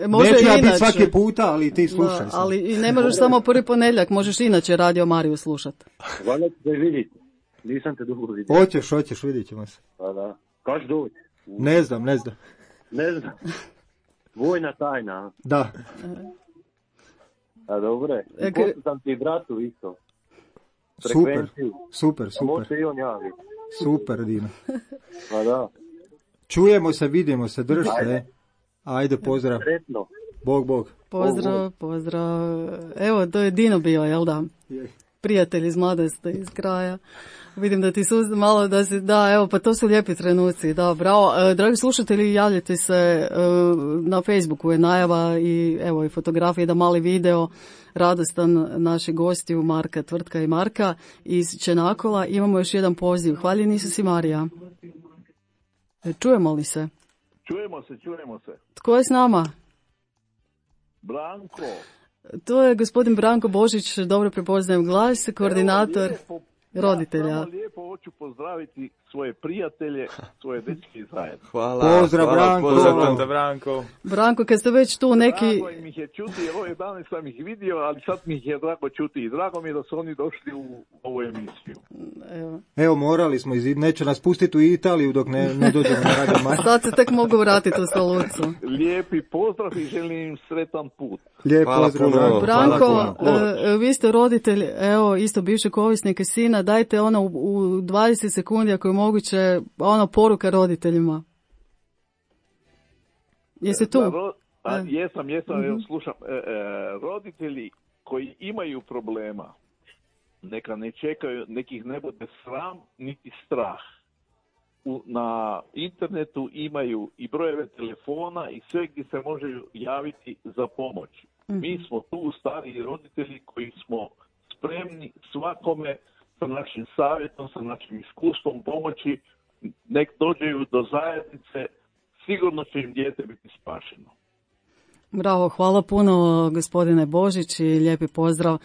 C: Može
D: neću ja
C: biti
D: svaki puta, ali ti slušaj.
C: Ali i ne možeš samo prvi ponedjeljak, možeš inače Radio Mariju slušati.
F: Hvala ti da vidite. Nisam te dugo vidio.
D: Hoćeš, vidit ćemo se.
F: Pa da. Kaš doći?
D: Ne znam.
F: Vojna tajna.
D: Da.
F: A dobro je. Pošto sam ti bratu isto.
D: Super.
F: Možete i on javiti.
D: Super, Dino.
F: Pa da.
D: Čujemo se, vidimo se, drž se. Ajde, pozdrav.
F: Sretno.
D: Bog.
C: Pozdrav. Evo, to je Dino bio, jel da? prijatelj iz mladosti, iz kraja. Vidim da ti su malo da si, da, evo, pa to su lijepi trenuci, da, bravo. Dragi slušatelji, javljate se na Facebooku, je najava i evo i fotografije, da mali video, radostan naših gostiju, Marka, Tvrtka i Marka iz Čenakola. Imamo još jedan poziv. Hvaljeni su si, Marija. Čujemo li se?
G: Čujemo se.
C: Tko je s nama?
G: Branko.
C: To je gospodin Branko Božić, dobro prepoznajem glas, koordinator roditelja.
G: Samo lijepo hoću pozdraviti svoje prijatelje, svoje dečke zajedno.
B: Hvala.
D: Pozdrav, Branko.
E: Pozdrav, Branko.
C: Branko, kad ste već tu neki...
G: Drago im ih je čuti, jer ove dane sam ih vidio, ali sad mi ih je drago čuti i drago mi je da su oni došli u ovu emisiju.
D: Evo, morali smo, neće nas pustiti u Italiju dok ne dođemo na Radio Marija.
C: Sad se tek mogu vratiti u stolicu.
G: Lijepi pozdrav i želim im sretan put.
D: Lijep pozdrav, Branko.
C: Branko, vi ste roditelj, evo, isto bivšeg ovisnika sina, dajte ono u 20 sekundi, ako je moguće, ono poruka roditeljima. Jeste tu?
G: Jesam, evo, slušam. Roditelji koji imaju problema, neka ne čekaju, nekih ne bude sram, niti strah. Na internetu imaju i brojeve telefona i sve gdje se može javiti za pomoć. Mi smo tu stariji roditelji koji smo spremni svakome sa našim savjetom, sa našim iskustvom pomoći, nek dođeju do zajednice, sigurno će im dijete biti spašeno.
C: Bravo, hvala puno gospodine Božić i lijepi pozdrav.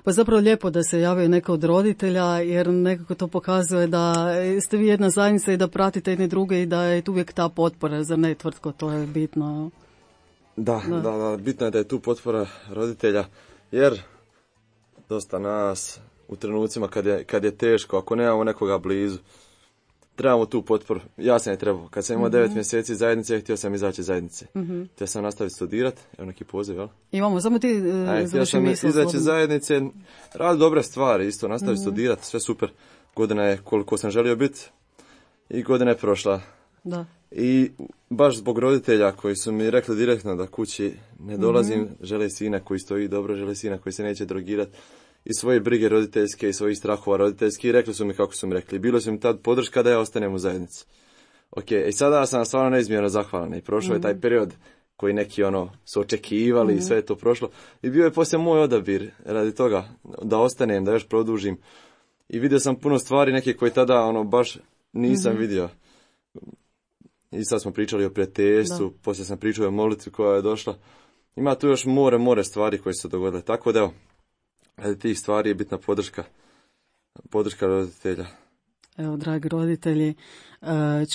C: Pa zapravo lijepo da se javio neko od roditelja, jer nekako to pokazuje da ste vi jedna zajednica i da pratite jedne druge i da je tu uvijek ta potpora, zar ne, Tvrtko, to je bitno.
B: Da, bitno je da je tu potpora roditelja, jer dosta nas u trenucima kad je teško, ako nemamo nekoga blizu, trebamo tu potporu. Ja sam je trebao. Kad sam imao 9 mjeseci zajednice, htio sam izaći iz zajednice. Htio sam nastaviti studirati. Evo neki poziv, jel?
C: Imamo, samo ti završi misl.
B: Htio sam izaći iz zajednice, radi dobre stvari, isto nastaviti studirati, sve super. Godina je koliko sam želio biti i godina je prošla. Da. I baš zbog roditelja koji su mi rekli direktno da kući ne dolazim, žele sina koji stoji dobro, žele sina koji se neće drogirati, i svoje brige roditeljske i svojih strahova roditeljskih, i rekli su mi kako su mi rekli. Bilo su mi tad podrška da ja ostanem u zajednici. Ok, i sada sam stvarno neizmjerno zahvalan i prošao je taj period koji neki su očekivali i sve je to prošlo. I bio je poslije moj odabir radi toga da ostanem, da još produžim. I vidio sam puno stvari neke koje tada baš nisam vidio. I sad smo pričali o prijateljstvu, poslije sam pričao o molitvi koja je došla. Ima tu još more stvari koje su se dogodile. Tako da evo, radi tih stvari je bitna podrška roditelja.
C: Evo, dragi roditelji,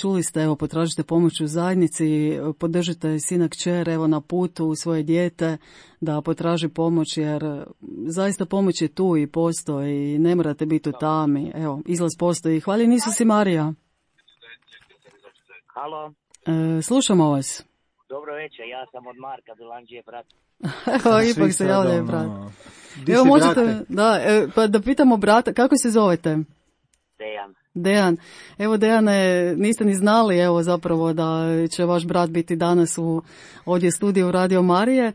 C: čuli ste, evo, potražite pomoć u zajednici, podržite sina kćer, evo, na putu u svoje dijete, da potraži pomoć, jer zaista pomoć je tu i postoji i ne morate biti u tami. Evo, izlaz postoji. Hvaljeni Isus i Marija.
H: Halo.
C: Slušamo vas.
H: Dobro večer, ja sam od Marka Bilanđije, brat.
C: Evo, ipak se javljaju, brat. Evo, možete, pa da pitamo brata, kako se zovete? Dejan. Evo, Dejane, niste ni znali, evo, zapravo da će vaš brat biti danas ovdje u studiju Radio Marije.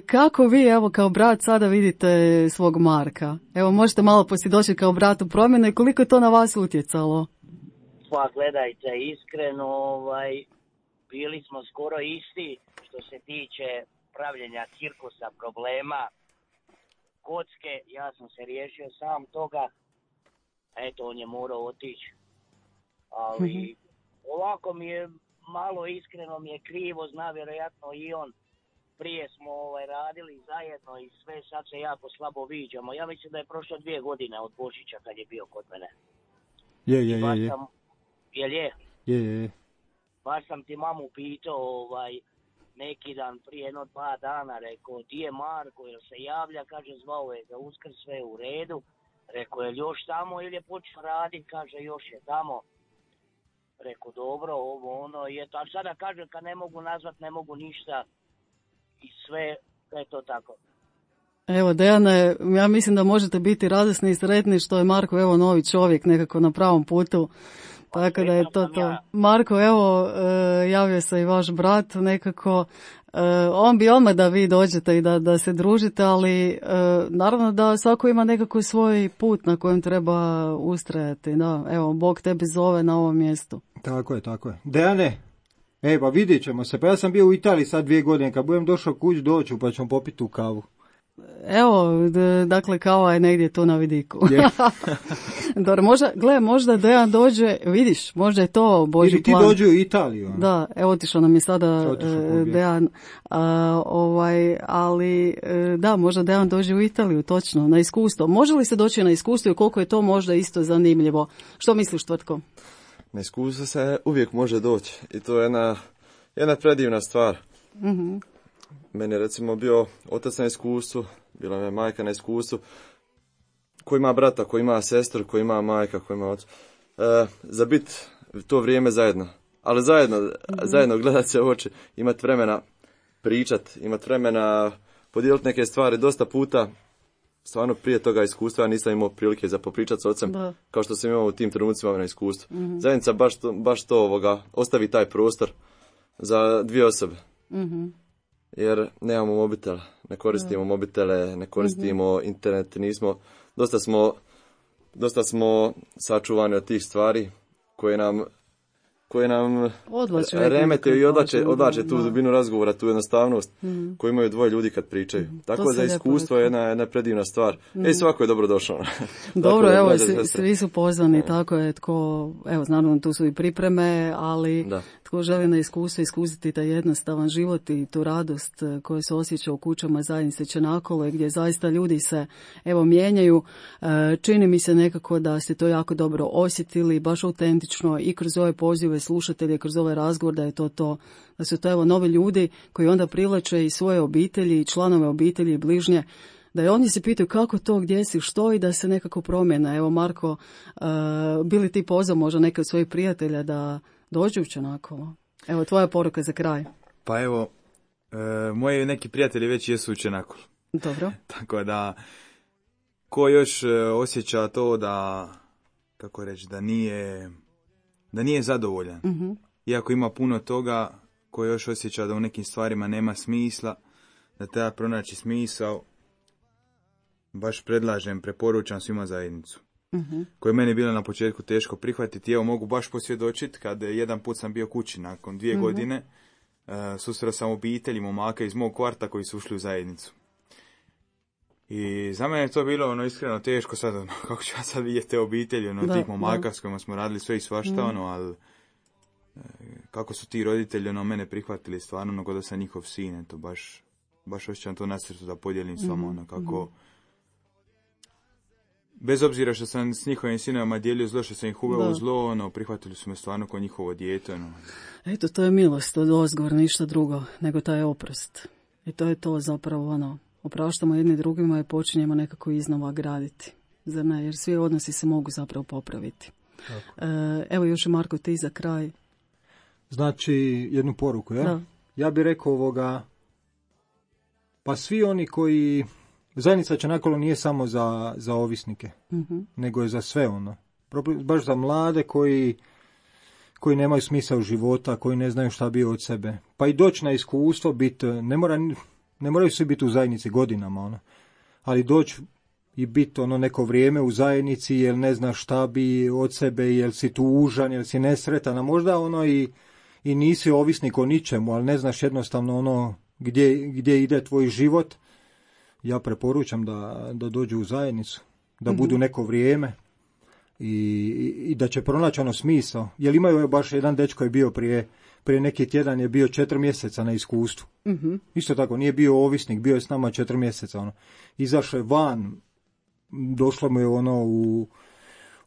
C: Kako vi, evo, kao brat sada vidite svog Marka? Evo, možete malo posvjedočiti kao brat u promjene, koliko je to na vas utjecalo?
H: Pa, gledajte, iskreno, bili smo skoro isti što se tiče pravljenja cirkusa, problema, kocke. Ja sam se riješio sam toga, eto, on je morao otići, ali ovako mi je malo, iskreno mi je krivo, zna vjerojatno i on. Prije smo radili zajedno i sve, sad se jako slabo viđamo. Ja mislim da je prošlo 2 godine od Božića kad je bio kod mene.
D: Je.
H: Baš sam ti mamu pitao neki dan prije 2 dana, rekao, di je Marko, jel se javlja, kaže, zvao je za Uskrs, sve u redu. Rekao, je li još tamo ili je počeo raditi, kaže, još je tamo. Rekao, dobro, a sada kaže, kad ne mogu nazvat, ne mogu ništa i sve, eto tako.
C: Evo, Dejane, ja mislim da možete biti radosni i sretni što je Marko, evo, novi čovjek nekako na pravom putu. Tako da je to. Marko, evo, javio se i vaš brat nekako. On bi odmah da vi dođete i da se družite, ali naravno da svako ima nekako svoj put na kojem treba ustrajati. Da, evo, Bog tebi zove na ovom mjestu.
D: Tako je. Dejane, pa vidjet ćemo se. Pa ja sam bio u Italiji sad 2 godine. Kad budem došao kuć, doću pa ćemo popiti tu kavu.
C: Evo, dakle, kava je negdje tu na vidiku. Dobro, možda Dejan dođe, vidiš, možda je to Božji plan.
D: Ili ti dođe u Italiju.
C: Da, evo otišao nam je sada Dejan, ali da, možda Dejan dođe u Italiju, točno, na iskustvo. Može li se doći na iskustvo i koliko je to možda isto zanimljivo? Što misliš, Tvrtko?
B: Na iskustvo se uvijek može doći i to je jedna predivna stvar. Mhm. Meni je recimo bio otac na iskustvu, bila je majka na iskustvu, ko ima brata, ko ima sestru, ko ima majka, ko ima oca. Za bit to vrijeme zajedno, ali zajedno gledat se u oči, imati vremena pričat, imati vremena podijeliti neke stvari. Dosta puta, stvarno prije toga iskustva, ja nisam imao prilike za popričati s ocem, kao što sam imao u tim trenucima na iskustvu. Mm-hmm. Zajednica baš to ostavi taj prostor za 2 osobe. Mm-hmm. Jer nemamo mobitel, ne koristimo mobitele, ne koristimo internet, dosta smo sačuvani od tih stvari koje nam remete i odlače tu dubinu razgovora, tu jednostavnost koju imaju 2 ljudi kad pričaju. Tako za iskustvo je jedna predivna stvar. Svako je dobro došao.
C: Dobro, evo, svi su pozvani, tako je, evo, naravno tu su i pripreme, ali tko želi na iskustvo iskusiti taj jednostavan život i tu radost koja se osjeća u kućama zajednice Čenakole, gdje zaista ljudi se, evo, mijenjaju. Čini mi se nekako da ste to jako dobro osjetili, baš autentično i kroz ove pozive slušatelje, kroz ovaj razgovor, da su to evo novi ljudi koji onda privlače i svoje obitelji, i članove obitelji i bližnje, da i oni se pitaju kako to, gdje si, što i da se nekako promjena. Evo, Marko, bili ti pozvao možda neke od svojih prijatelja da dođu u Čenakolo? Evo, tvoja poruka za kraj.
E: Pa evo, moji neki prijatelji već jesu u Čenakolu.
C: Dobro.
E: Tako da, ko još osjeća to da, kako reći, da nije zadovoljan. Mm-hmm. Iako ima puno toga, ko još osjeća da u nekim stvarima nema smisla, da treba pronaći smisao, baš preporučam svima zajednicu. Mm-hmm. Koje je meni bilo na početku teško prihvatiti. Evo, mogu baš posvjedočiti kad jedan put sam bio kući nakon 2 godine, susreo sam obitelji momaka iz mog kvarta koji su ušli u zajednicu. I za mene je to bilo iskreno teško sad, kako ću ja sad vidjeti te obitelji, tih momaka s kojima smo radili sve i svašta, ali kako su ti roditelji mene prihvatili stvarno, kao da sam njihov sin, to baš osjećam to na srcu da podijelim s vama, kako bez obzira što sam s njihovim sinovima dijelio zlo, što sam ih uveo u zlo, prihvatili su me stvarno kao njihovo dijete.
C: Eto, to je milost od ozgor, ništa drugo, nego taj oprost. I to je to zapravo opraštamo jedni drugima i počinjemo nekako iznova graditi. Zar ne? Jer svi odnosi se mogu zapravo popraviti. Evo još Marko, ti za kraj.
D: Znači, jednu poruku, ja? Da. Ja bih rekao pa svi oni koji... Zajednica Čenakolo nije samo za ovisnike, nego je za sve baš za mlade koji nemaju smisao života, koji ne znaju šta bi od sebe. Pa i doći na iskustvo, ne moraju svi biti u zajednici godinama, ali doći i biti neko vrijeme u zajednici, jer ne znaš šta bi od sebe, jel si tužan, jel si nesretan, a možda i nisi ovisnik o ničemu, ali ne znaš jednostavno gdje ide tvoj život. Ja preporučam da dođu u zajednicu, da budu neko vrijeme i da će pronaći smisao. Jer imaju baš jedan dečko je bio prije neki tjedan, je bio 4 mjeseca na iskustvu. Mm-hmm. Isto tako, nije bio ovisnik, bio je s nama 4 mjeseca. Izašao je van, došlo mu je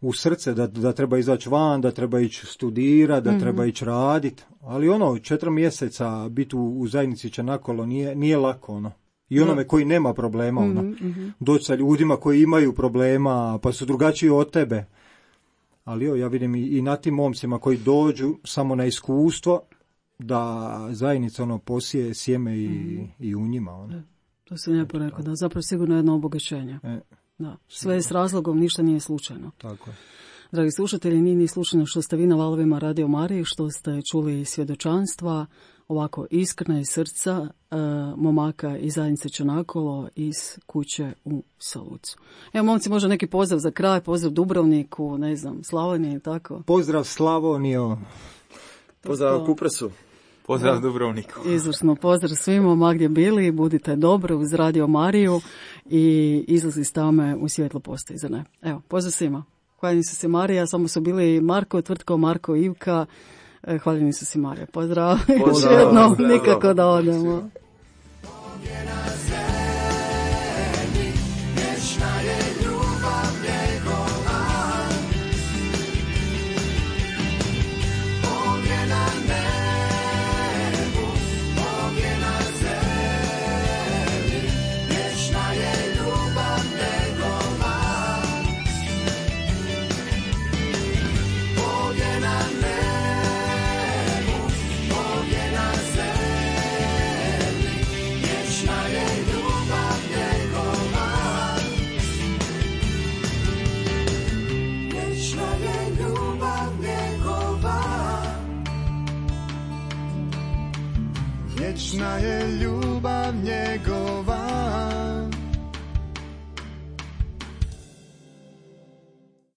D: u srce da treba izaći van, da treba ići studirati, da treba ići raditi. Ali 4 mjeseca biti u zajednici Čenakolo nije lako. I onome koji nema problema, doći sa ljudima koji imaju problema, pa su drugačiji od tebe. Ali ja vidim i na tim momcima koji dođu samo na iskustvo, da zajednica posije sjeme i u njima.
C: To se lijepo rekao, da zapravo sigurno jedno obogaćenje. Da. Sve je s razlogom, ništa nije slučajno.
D: Tako je.
C: Dragi slušatelji, nije ni slušano što ste vi na valovima Radio Marije, što ste čuli svjedočanstva, ovako iskrena iz srca momaka iz zajednice Čanakolo iz kuće u Salucu. Evo, momci, možda neki pozdrav za kraj, pozdrav Dubrovniku, ne znam, Slavoniji, tako?
D: Pozdrav Slavonijo.
B: Pozdrav Kupresu.
E: Pozdrav Dubrovniku.
C: Izvrsno, pozdrav svima, ma gdje bili, budite dobro uz Radio Mariju i izlazi s tame u svjetlo postoji, zar ne? Evo, pozdrav svima. Hvaljeni su se Marija, samo su bili Marko, Tvrtko, Marko, Ivka. Hvaljeni su se Marija. Pozdrav. Još jednom, nikako da odemo.
I: Vječna je ljubav njegova.